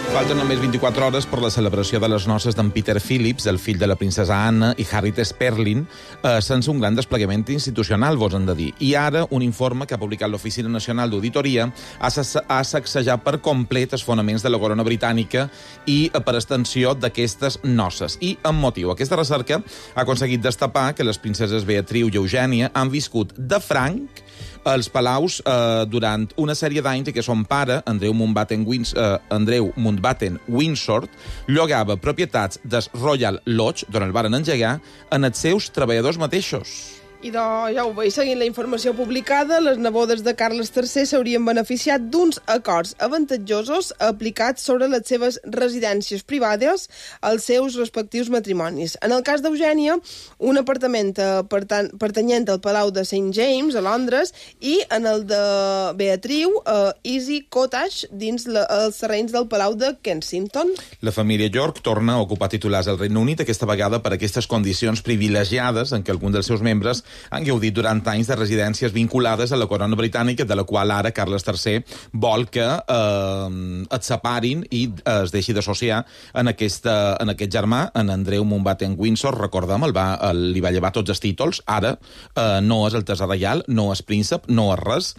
Falten només 24 hores per la celebració de les noces d'en Peter Phillips, el fill de la princesa Anna, i Harriet Sperling, sense un gran desplegament institucional, vos hem de dir. I ara, un informe que ha publicat l'Oficina Nacional d'Auditoria ha sacsejat per complet els fonaments de la corona britànica i, per extensió, d'aquestes noces. I, amb motiu, aquesta recerca ha aconseguit destapar que les princeses Beatriu i Eugènia han viscut de franc als palaus durant una sèrie d'anys i que son pare, Andreu Mountbatten Windsor, llogava propietats des Royal Lodge, d'on el varen engegar, en els seus treballadors mateixos. I ja ho veig, seguint la informació publicada, les nebodes de Carles III s'haurien beneficiat d'uns acords avantatjosos aplicats sobre les seves residències privades als seus respectius matrimonis. En el cas d'Eugènia, un apartament pertanyent al Palau de St. James, a Londres, i en el de Beatriu, Easy Cottage, dins els terrenys del Palau de Kensington. La família York torna a ocupar titulars al Regne Unit, aquesta vegada per aquestes condicions privilegiades en què algun dels seus membres han gaudit durant anys de residències vinculades a la corona britànica, de la qual ara Carles III vol que et separin i es deixi d'associar en aquest germà, en Andreu Mountbatten Windsor, recordem, li va llevar tots els títols, ara no és el tesor reial, no és príncep, no és res.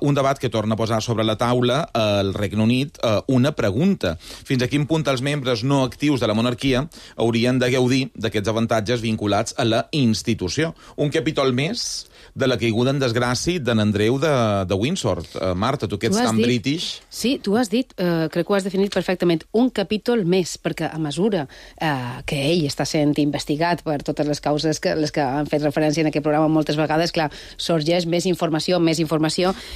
Un debat que torna a posar sobre la taula al Regne Unit una pregunta. Fins a quin punt els membres no actius de la monarquia haurien de gaudir d'aquests avantatges vinculats a la institució? Un capítol més de la caiguda en desgràcia d'en Andreu de Windsor. Marta, tu que ets tan british... Sí, tu has dit, crec que ho has definit perfectament, un capítol més, perquè a mesura que ell està sent investigat per totes les causes les que han fet referència en aquest programa moltes vegades, clar, sorgeix més informació.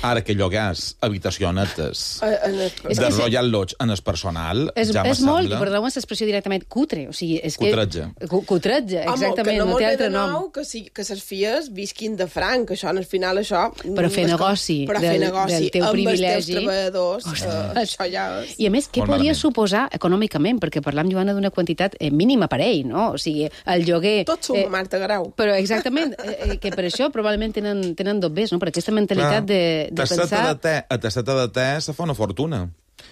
Ara que llogàs habitacionetes de Royal Lodge en el personal, ja me sembla... És molt, perdó-me l'expressió directament, cutre. O sigui, és cutretge. Cutretge, exactament, no té altre de nom. nou que les filles visquin de franc, banc, això, al final, això... Però fer negoci del teu privilegi... Amb els teus treballadors, això ja és... I a més, què podria suposar econòmicament? Perquè parlam, Joana, d'una quantitat mínima per ell, no? O sigui, el lloguer... Tot suma, Marta Garau. Però exactament, que per això probablement tenen dobbers, no? Per aquesta mentalitat de pensar... A tasseta de te se fa una fortuna.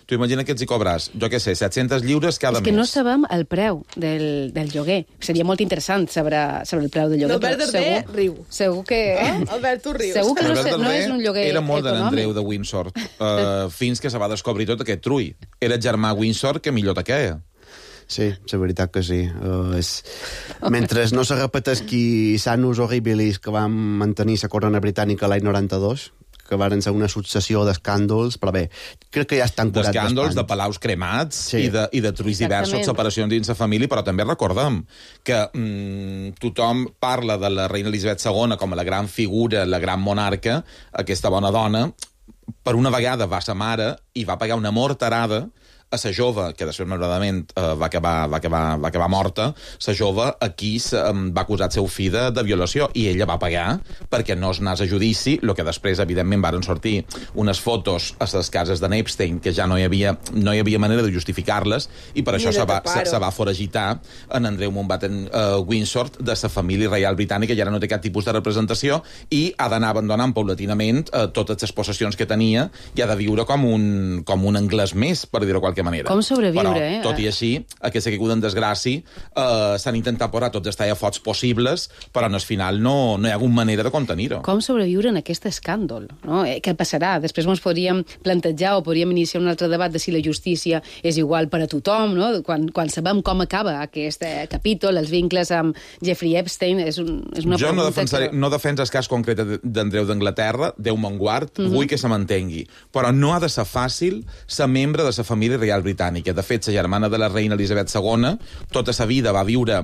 Tu imagina que ets hi cobres, jo què sé, 700 lliures cada mes. És que no sabem el preu del lloguer. Seria molt interessant saber el preu del lloguer. Albert Darder riu. Segur que... Albert, tu rius. Segur que no és un lloguer era molt econòmic. de l'Andreu de Windsor, fins que se va descobrir tot aquest trull. Era germà Windsor que millor te queia. Sí, la veritat que sí. Mentre no se repetesqui Sanus Horribilis que vam mantenir la corona britànica l'any 92, que van ser una successió d'escàndols, però bé, crec que ja estan curats d'espant. D'escàndols, de palaus cremats i de trulls diversos, separacions dins la família, però també recordem que tothom parla de la reina Elisabet II com a la gran figura, la gran monarca, aquesta bona dona. Per una vegada va sa mare i va pagar una morterada a sa jove, que després malauradament va acabar morta, sa jove aquí va acusar el seu fill de violació i ella va pagar perquè no es anés a judici, el que després evidentment varen sortir unes fotos a les cases de Epstein que ja no hi havia manera de justificar-les i per això se va foragitar en Andreu Mountbatten Windsor de sa família reial britànica i ara no té cap tipus de representació i ha d'anar abandonant paulatinament totes les possessions que tenia i ha de viure com un anglès més, per dir-ho qualque manera. Com sobreviure, però, tot i així, aquesta caiguda en desgràcia s'han intentat posar tots els tallafots possibles, però al final no hi ha hagut manera de contenir-ho. Com sobreviure en aquest escàndol? No? Què passarà? Després ens podríem plantejar o podríem iniciar un altre debat de si la justícia és igual per a tothom, no? Quan sabem com acaba aquest capítol, els vincles amb Jeffrey Epstein, és una pregunta... Jo no defenso el cas concret d'Andreu d'Anglaterra, Déu me'n guard, vull que se mantengui, però no ha de ser fàcil ser membre de la família reial britànica. De fet, la germana de la reina Elisabet II tota sa vida va viure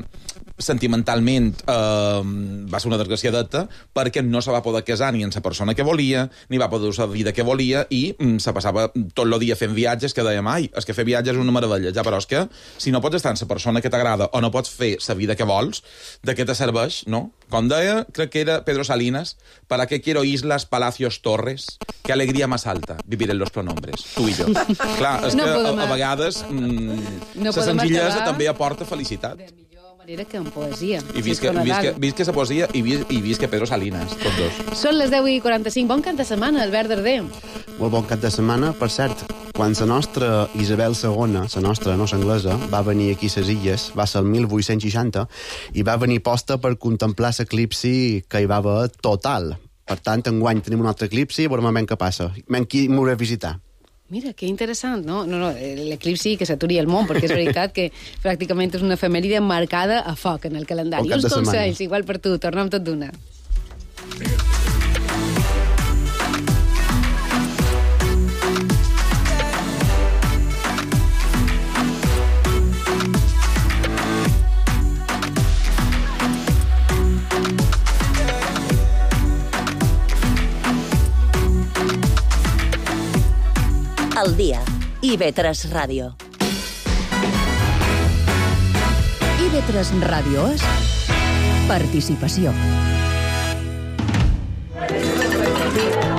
sentimentalment, va ser una desgraciadeta perquè no se va poder casar ni amb la persona que volia, ni va poder usar la vida que volia i se passava tot el dia fent viatges que dèiem, ai, és que fer viatges és una meravella, ja, però és que si no pots estar amb la persona que t'agrada o no pots fer la vida que vols, de què te serveix, no? Com deia, crec que era Pedro Salinas, ¿para qué quiero islas, palacios, torres? Qué alegría más alta vivir en los pronombres, tu i jo. Clar, és que a vegades la senzillesa també aporta felicitat. Manera que en poesia. I visca la poesia i visca Pedro Salinas, tots dos. Són les 10:45. Bon cap de setmana, Albert Darder. Molt bon cap de setmana. Per cert, quan la nostra Isabel II, la nostra, no l'anglesa, va venir aquí a les Illes, va ser el 1860, i va venir posta per contemplar l'eclipsi que hi va haver total. Per tant, enguany tenim un altre eclipsi i veurem què passa. Qui m'ho a visitar. Mira, que interessant, no? L'eclipsi que s'aturi el món, perquè és veritat que pràcticament és una efemèride marcada a foc en el calendari. Uns consells, igual per tu, tornem tot d'una. Al dia. IB3 Ràdio. IB3 Ràdio és participació.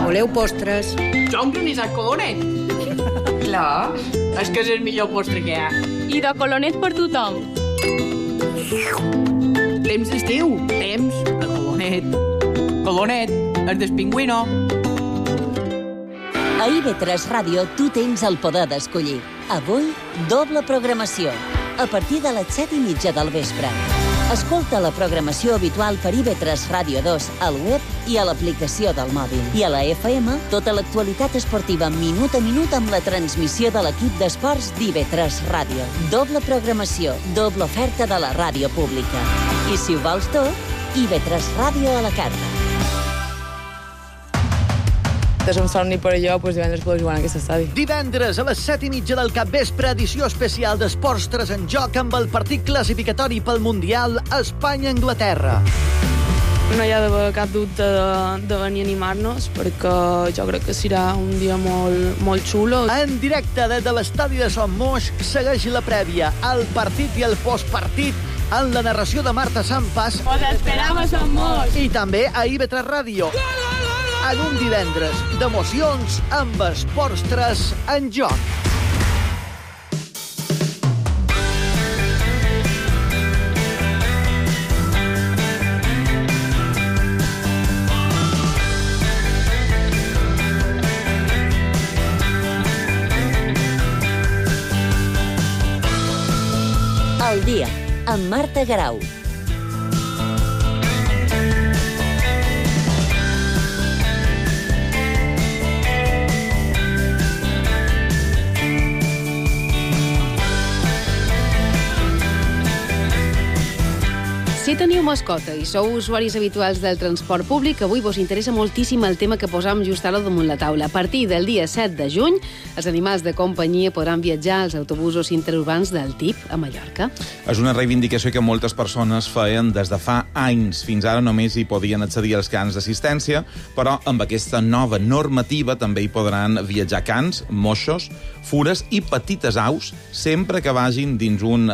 Voleu postres? Jo un granissat colonet. Clar. És que és el millor postre que hi ha. I de colonet per tothom. Temps d'estiu. Temps de colonet. Colonet, el del pingüino. A IB3 Ràdio tu tens el poder d'escollir. Avui, doble programació. A partir de les 7:30 del vespre. Escolta la programació habitual per IB3 Ràdio 2 al web i a l'aplicació del mòbil. I a la FM, tota l'actualitat esportiva minut a minut amb la transmissió de l'equip d'esports d'IB3 Ràdio. Doble programació, doble oferta de la ràdio pública. I si ho vols tot, IB3 Ràdio a la carta. És un somni per allò, doncs divendres podeu jugar en aquest estadi. Divendres a les 7:30 del capvespre, edició especial d'Esports 3 en joc amb el partit classificatori pel Mundial Espanya-Anglaterra. No hi ha d'haver cap dubte de venir a animar-nos, perquè jo crec que serà un dia molt xulo. En directe des de l'estadi de Son Moix segueix la prèvia, el partit i el postpartit en la narració de Marta Sampas. Os esperamos en Mos. I també a IB3 Ràdio. En un divendres d'emocions amb Esports 3 en joc. Al dia, amb Marta Garau. Si teniu mascota i sou usuaris habituals del transport públic, avui vos interessa moltíssim el tema que posam just ara damunt la taula. A partir del dia 7 de juny, els animals de companyia podran viatjar als autobusos interurbans del TIP a Mallorca. És una reivindicació que moltes persones feien des de fa anys. Fins ara només hi podien accedir als cans d'assistència, però amb aquesta nova normativa també hi podran viatjar cans, moixos, fures i petites aus, sempre que vagin dins un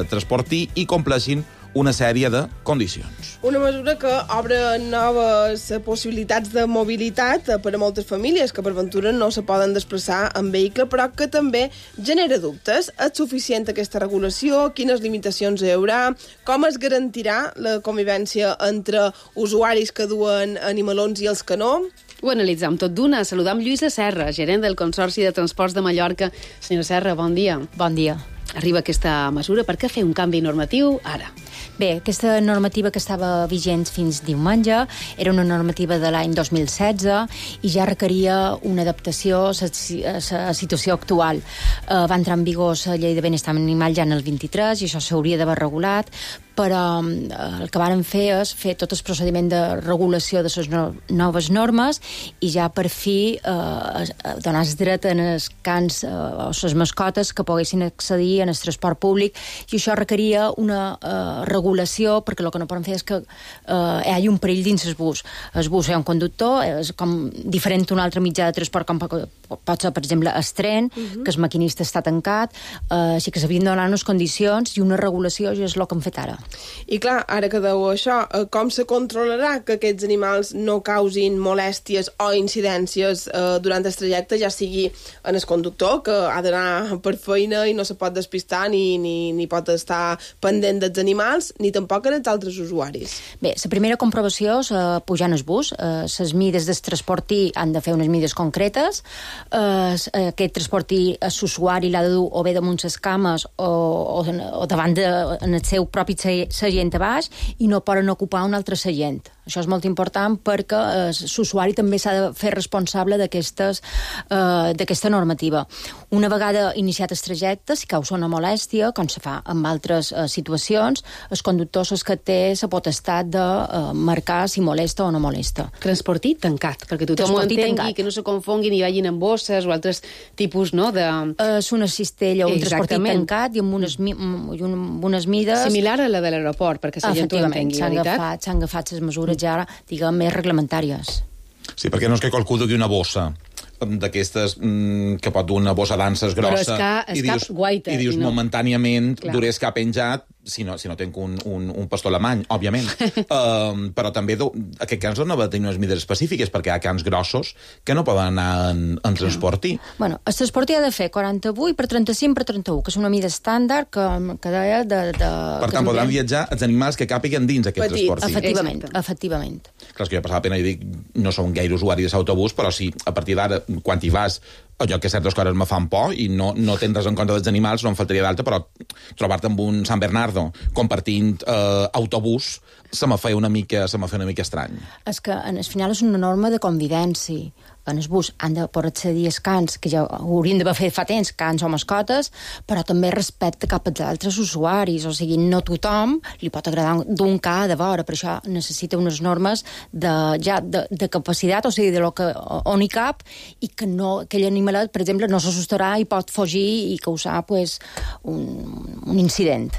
transportí i compleixin una sèrie de condicions. Una mesura que obre noves possibilitats de mobilitat per a moltes famílies que per ventura no se poden desplaçar en vehicle, però que també genera dubtes. És suficient aquesta regulació? Quines limitacions hi haurà? Com es garantirà la convivència entre usuaris que duen animalons i els que no? Ho analitzam tot d'una. Saludam Lluïsa Serra, gerent del Consorci de Transports de Mallorca. Senyora Serra, bon dia. Bon dia. Arriba aquesta mesura. Per què fer un canvi normatiu ara? Bé, aquesta normativa que estava vigent fins diumenge era una normativa de l'any 2016 i ja requeria una adaptació a la situació actual. Va entrar en vigor la llei de benestar animal ja en el 23 i això s'hauria d'haver regulat, però el que varen fer és fer tot el procediment de regulació de les noves normes i ja per fi donar el dret en els cans o les mascotes que poguessin accedir en el transport públic, i això requeria una regulació, perquè el que no poden fer és que hi hagi un perill dins el bus. El bus hi ha un conductor, és com diferent d'un altre mitjà de transport, com pot ser, per exemple, el tren, que el maquinista està tancat, així que s'havien de donar unes condicions i una regulació, i és el que hem fet ara. I clar, ara que deu això, com se controlarà que aquests animals no causin molèsties o incidències durant el trajecte, ja sigui en el conductor, que ha d'anar per feina i no se pot despistar ni pot estar pendent dels animals, ni tampoc en els altres usuaris? Bé, la primera comprovació és pujar en el bus. Les mides del transportí han de fer unes mides concretes. Aquest transportí, l'usuari l'ha de dur o bé damunt les cames o davant en el seu propi seient a baix, i no poden ocupar un altre seient. Això és molt important perquè l'usuari també s'ha de fer responsable d'aquesta normativa. Una vegada iniciat el trajecte, si causa una molèstia, com se fa en altres situacions, el conductor és que té la potestat de marcar si molesta o no molesta. Transportí tancat, perquè tothom ho entengui, que no se confonguin i vagin en bosses o altres tipus, no? És una cistella o un transportí tancat i amb unes mides... Similar a la de l'aeroport, perquè la gent ho entengui, veritat? S'han agafat les mesures ja, diguem, més reglamentàries. Sí, perquè no és que qualcú dugui una bossa d'aquestes que pot dur una bossa d'anses grossa i dius momentàniament duré el cap penjat si no tenc un pastor alemany, òbviament. Però també aquest cans no va tenir unes mides específiques, perquè hi ha cans grossos que no poden anar en transportí. Bueno, el transportí ha de fer 48 per 35 per 31, que és una mida estàndard que deia de... Per tant, podran viatjar els animals que càpiguen dins aquest transportí. Efectivament. Clar, és que jo passava pena i dic, no som gaire usuari de l'autobús, però sí, a partir d'ara, quan hi vas, allò que certes coses me fan por i no tens res en compte dels animals, no em faltaria d'alta, però trobar-te amb un San Bernardo compartint autobús se me feia una mica estrany. És que, al final, és una norma de convivència. En el bus han de poder accedir als cans, que ja haurien d'haver fet fa temps, cans o mascotes, però també respecte cap als altres usuaris. O sigui, no tothom li pot agradar d'un ca de vora, per això necessita unes normes de capacitat, o sigui, on hi cap, i que aquell animalet, per exemple, no s'assustarà i pot fugir i causar un incident.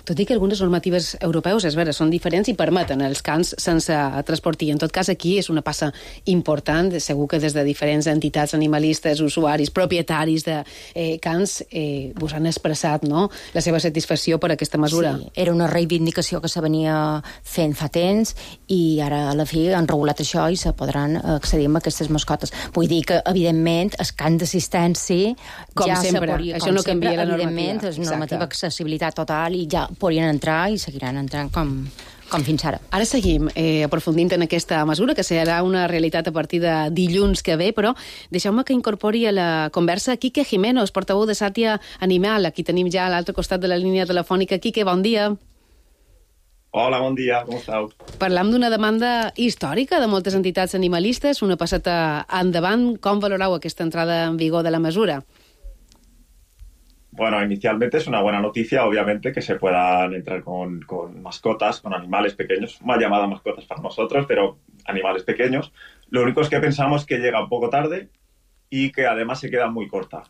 Tot i que algunes normatives europeus, és vera, són diferents i permeten els cans sense transportir. En tot cas, aquí és una passa important. Segur que des de diferents entitats animalistes, usuaris, propietaris de cans, vos han expressat, no?, la seva satisfacció per aquesta mesura. Sí, era una reivindicació que se venia fent fa temps i ara a la fi han regulat això i se podran accedir a aquestes mascotes. Vull dir que, evidentment, el can d'assistència com ja sempre, podria, això no canvia la normativa. Evidentment, és normativa d'accessibilitat total i ja podrien entrar i seguiran entrant com fins ara. Ara seguim aprofundint en aquesta mesura, que serà una realitat a partir de dilluns que ve, però deixeu-me que incorpori a la conversa Quique Jiménez, portaveu de Sàtia Animal. Aquí tenim ja a l'altre costat de la línia telefònica. Quique, bon dia. Hola, bon dia, com esteu? Parlam d'una demanda històrica de moltes entitats animalistes, una passada endavant. Com valoreu aquesta entrada en vigor de la mesura? Bueno, inicialmente es una buena noticia, obviamente, que se puedan entrar con mascotas, con animales pequeños, mal llamada mascotas para nosotros, pero animales pequeños. Lo único es que pensamos que llega un poco tarde y que además se queda muy corta.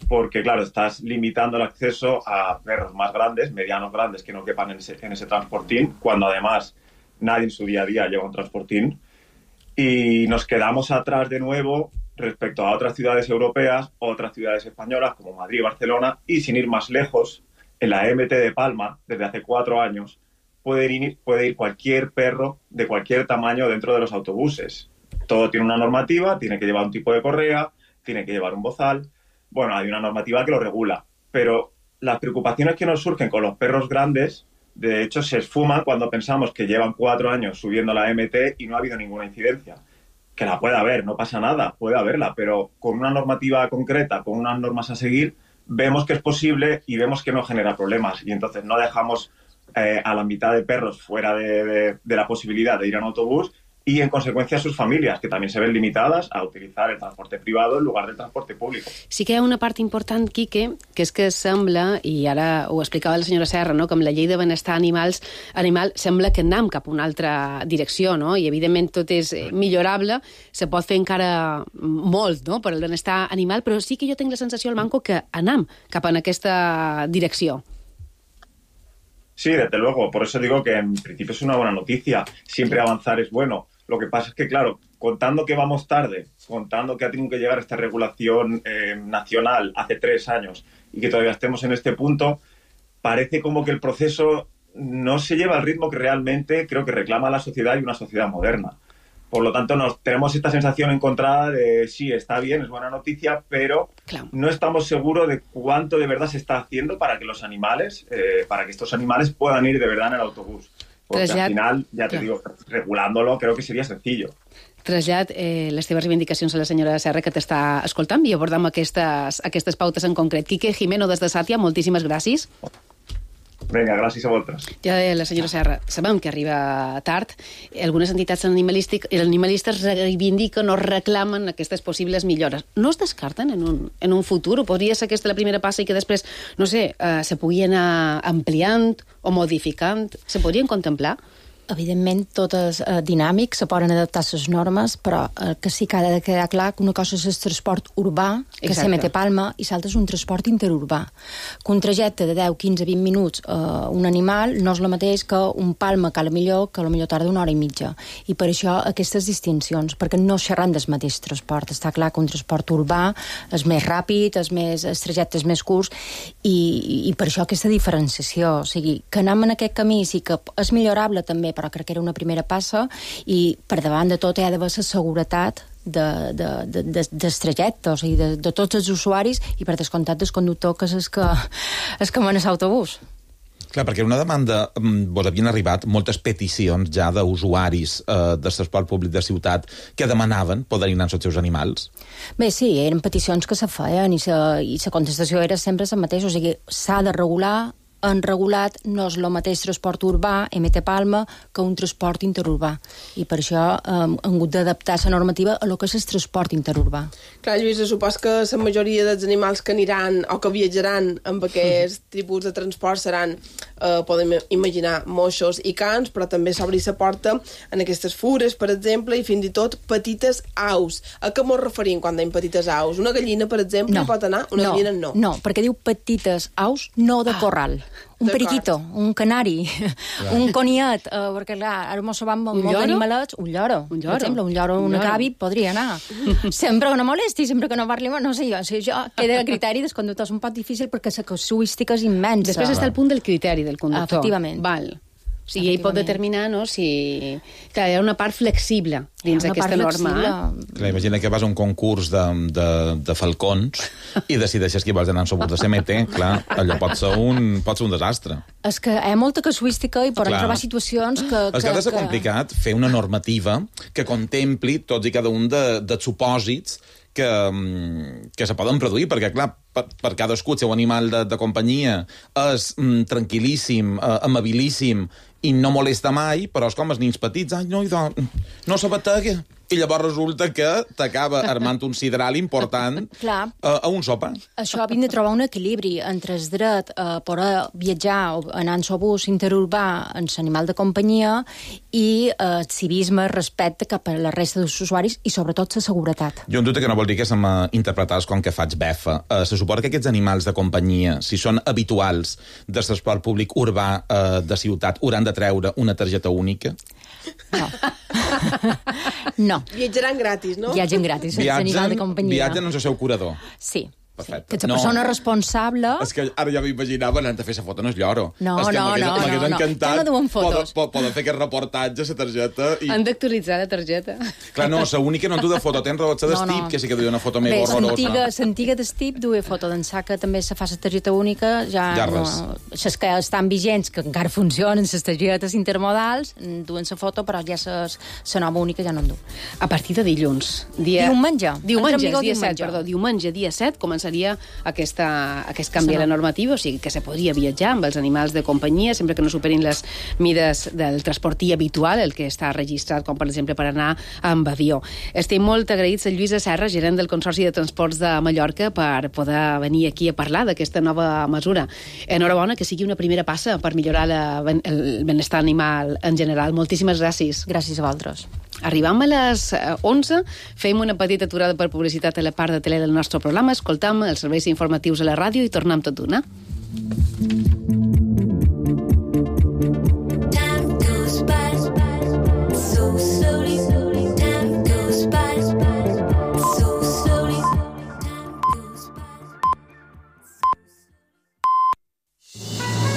Porque, claro, estás limitando el acceso a perros más grandes, medianos grandes, que no quepan en ese transportín, cuando además nadie en su día a día lleva un transportín. Y nos quedamos atrás de nuevo respecto a otras ciudades europeas, otras ciudades españolas como Madrid y Barcelona, y sin ir más lejos, en la MT de Palma, desde hace 4 años, puede ir cualquier perro de cualquier tamaño dentro de los autobuses. Todo tiene una normativa, tiene que llevar un tipo de correa, tiene que llevar un bozal. Bueno, hay una normativa que lo regula, pero las preocupaciones que nos surgen con los perros grandes, de hecho, se esfuman cuando pensamos que llevan 4 años subiendo la MT y no ha habido ninguna incidencia. Que la puede haber, no pasa nada, puede haberla, pero con una normativa concreta, con unas normas a seguir, vemos que es posible y vemos que no genera problemas. Y entonces no dejamos a la mitad de perros fuera de la posibilidad de ir en autobús y, en consecuencia, sus famílies, que també se ven limitades a utilitzar el transporte privado en lugar del transporte públic. Sí que hi ha una part important, Quique, que és que sembla, i ara ho explicava la senyora Serra, no?, que amb la llei de benestar animal sembla que anem cap a una altra direcció, no?, i evidentment tot és millorable, se pot fer encara molt, no?, per al benestar animal, però sí que jo tinc la sensació al Manco que anem cap a aquesta direcció. Sí, desde luego, por eso digo que en principio es una buena noticia, siempre avanzar es bueno. Lo que pasa es que, claro, contando que vamos tarde, contando que ha tenido que llegar esta regulación nacional hace 3 años y que todavía estemos en este punto, parece como que el proceso no se lleva al ritmo que realmente creo que reclama la sociedad y una sociedad moderna. Por lo tanto, tenemos esta sensación encontrada de sí, está bien, es buena noticia, pero no estamos seguros de cuánto de verdad se está haciendo para que los animales, para que estos animales puedan ir de verdad en el autobús. Porque al final, ya te digo, regulándolo creo que sería sencillo. Trasllat les teves reivindicacions a la senyora Serra, que t'està escoltant, i abordam aquestes pautes en concret. Quique Jimeno, des de Sàtia, moltíssimes gràcies. Vinga, gràcies a vosaltres. Ja deia la senyora Serra, sabem que arriba tard. Algunes entitats animalistes reivindiquen o reclamen aquestes possibles millores. No es descarten en un futur? O podria ser aquesta la primera passa i que després, no sé, se pugui anar ampliant o modificant? Se podrien contemplar? Evidentment, tot és dinàmic, se poden adaptar les normes, però que sí que ha de quedar clar que una cosa és el transport urbà, que se mete Palma, i l'altre és un transport interurbà. Que un trajecte de 10, 15, 20 minuts un animal no és el mateix que un Palma que potser tarda 1 hora i mitja. I per això aquestes distincions, perquè no xerran del mateix transport. Està clar que un transport urbà és més ràpid, el trajecte és més curts, i per això aquesta diferenciació. O sigui, que anem en aquest camí sí que és millorable també, però crec que era una primera passa, i per davant de tot hi ha d'haver la seguretat del trajecte, o sigui, de tots els usuaris, i per descomptat del conductor, que és que mana l'autobús. Clar, perquè una demanda, vos havien arribat moltes peticions ja d'usuaris del transport públic de ciutat que demanaven poder anar amb els seus animals. Bé, sí, eren peticions que se feien i la contestació era sempre la mateixa, o sigui, s'ha de regular. Han regulat no és el mateix transport urbà, MT Palma, que un transport interurbà. I per això han hagut d'adaptar la normativa a lo que és el transport interurbà. Clar, Lluïsa, supos que la majoria dels animals que aniran o que viatjaran amb aquest tipus de transport seran, podem imaginar, moixos i cans, però també s'obri la porta en aquestes fures, per exemple, i fins i tot petites aus. A què ens referim quan dèiem petites aus? Una gallina, per exemple, pot anar? Una gallina no. No, perquè diu petites aus, no de corral. Un periquito, un canari, un coniet, perquè clar, ara mos sabem molt d'animalets, un lloro, per exemple, un lloro, un acabi, podria anar. Sempre que no molesti, sempre que no parli, no sé jo, queda el criteri del conductor és un poc difícil perquè la casuística és immensa. Després està el punt del criteri del conductor. Efectivament. Val. O sigui, ell pot determinar, no?, si... Clar, hi ha una part flexible dins aquesta norma. Clar, imagina que vas a un concurs de falcons i decideixes qui vols anar en sobos de CMT, clar, allò pot ser un desastre. És que hi ha molta casuística i poden trobar situacions que... És que ha de ser complicat fer una normativa que contempli tots i cada un dels supòsits que se poden produir, perquè, clar, per cadascú el seu animal de companyia és tranquil·líssim, amabilíssim i no molesta mai, però és com els nins petits. Ai, no se batega. I llavors resulta que t'acaba armant un sidral important a un sopa. Això hem de trobar un equilibri entre el dret a poder viatjar o anar en sobús interurbà en l'animal de companyia i el civisme respecte cap a la resta dels usuaris i sobretot la seguretat. Jo en dubte que no vol dir que se m'interpretàs com que faig befa. Se suposa que aquests animals de companyia, si són habituals del transport públic urbà de ciutat, hauran de treure una targeta única? No. No. Viatjaran gratis, no? Viatgen gratis, animal de companyia. Viatgen en el seu curador. Sí. Perfecte. Que la persona responsable... És que ara ja m'imaginava anant a fer la foto en el lloro. No. M'hagués encantat. Ja no duen fotos. Poden fer aquest reportatge, la targeta... Han d'actualitzar la targeta. Clar, no, l'única no en du de foto. Tens raó, la d'Estip, que sí que duia una foto mega horrorosa. L'antiga d'Estip duia foto d'ençà que també se fa la targeta única. Ja res. Les que estan vigents, que encara funcionen, les targetes intermodals, duen la foto, però ja la nova única ja no en du. A partir de dilluns. Diumenge, dia 7, seria aquest canvi a la normativa, o sigui que se podria viatjar amb els animals de companyia sempre que no superin les mides del transportí habitual, el que està registrat, com per exemple per anar amb avió. Estem molt agraïts a Lluïsa Serra, gerent del Consorci de Transports de Mallorca, per poder venir aquí a parlar d'aquesta nova mesura. Enhorabona, que sigui una primera passa per millorar el benestar animal en general. Moltíssimes gràcies. Gràcies a vosaltres. Arribam a les 11, fem una petita aturada per publicitat a la part de tele del nostre programa, escoltam els serveis informatius a la ràdio i tornem tot d'una.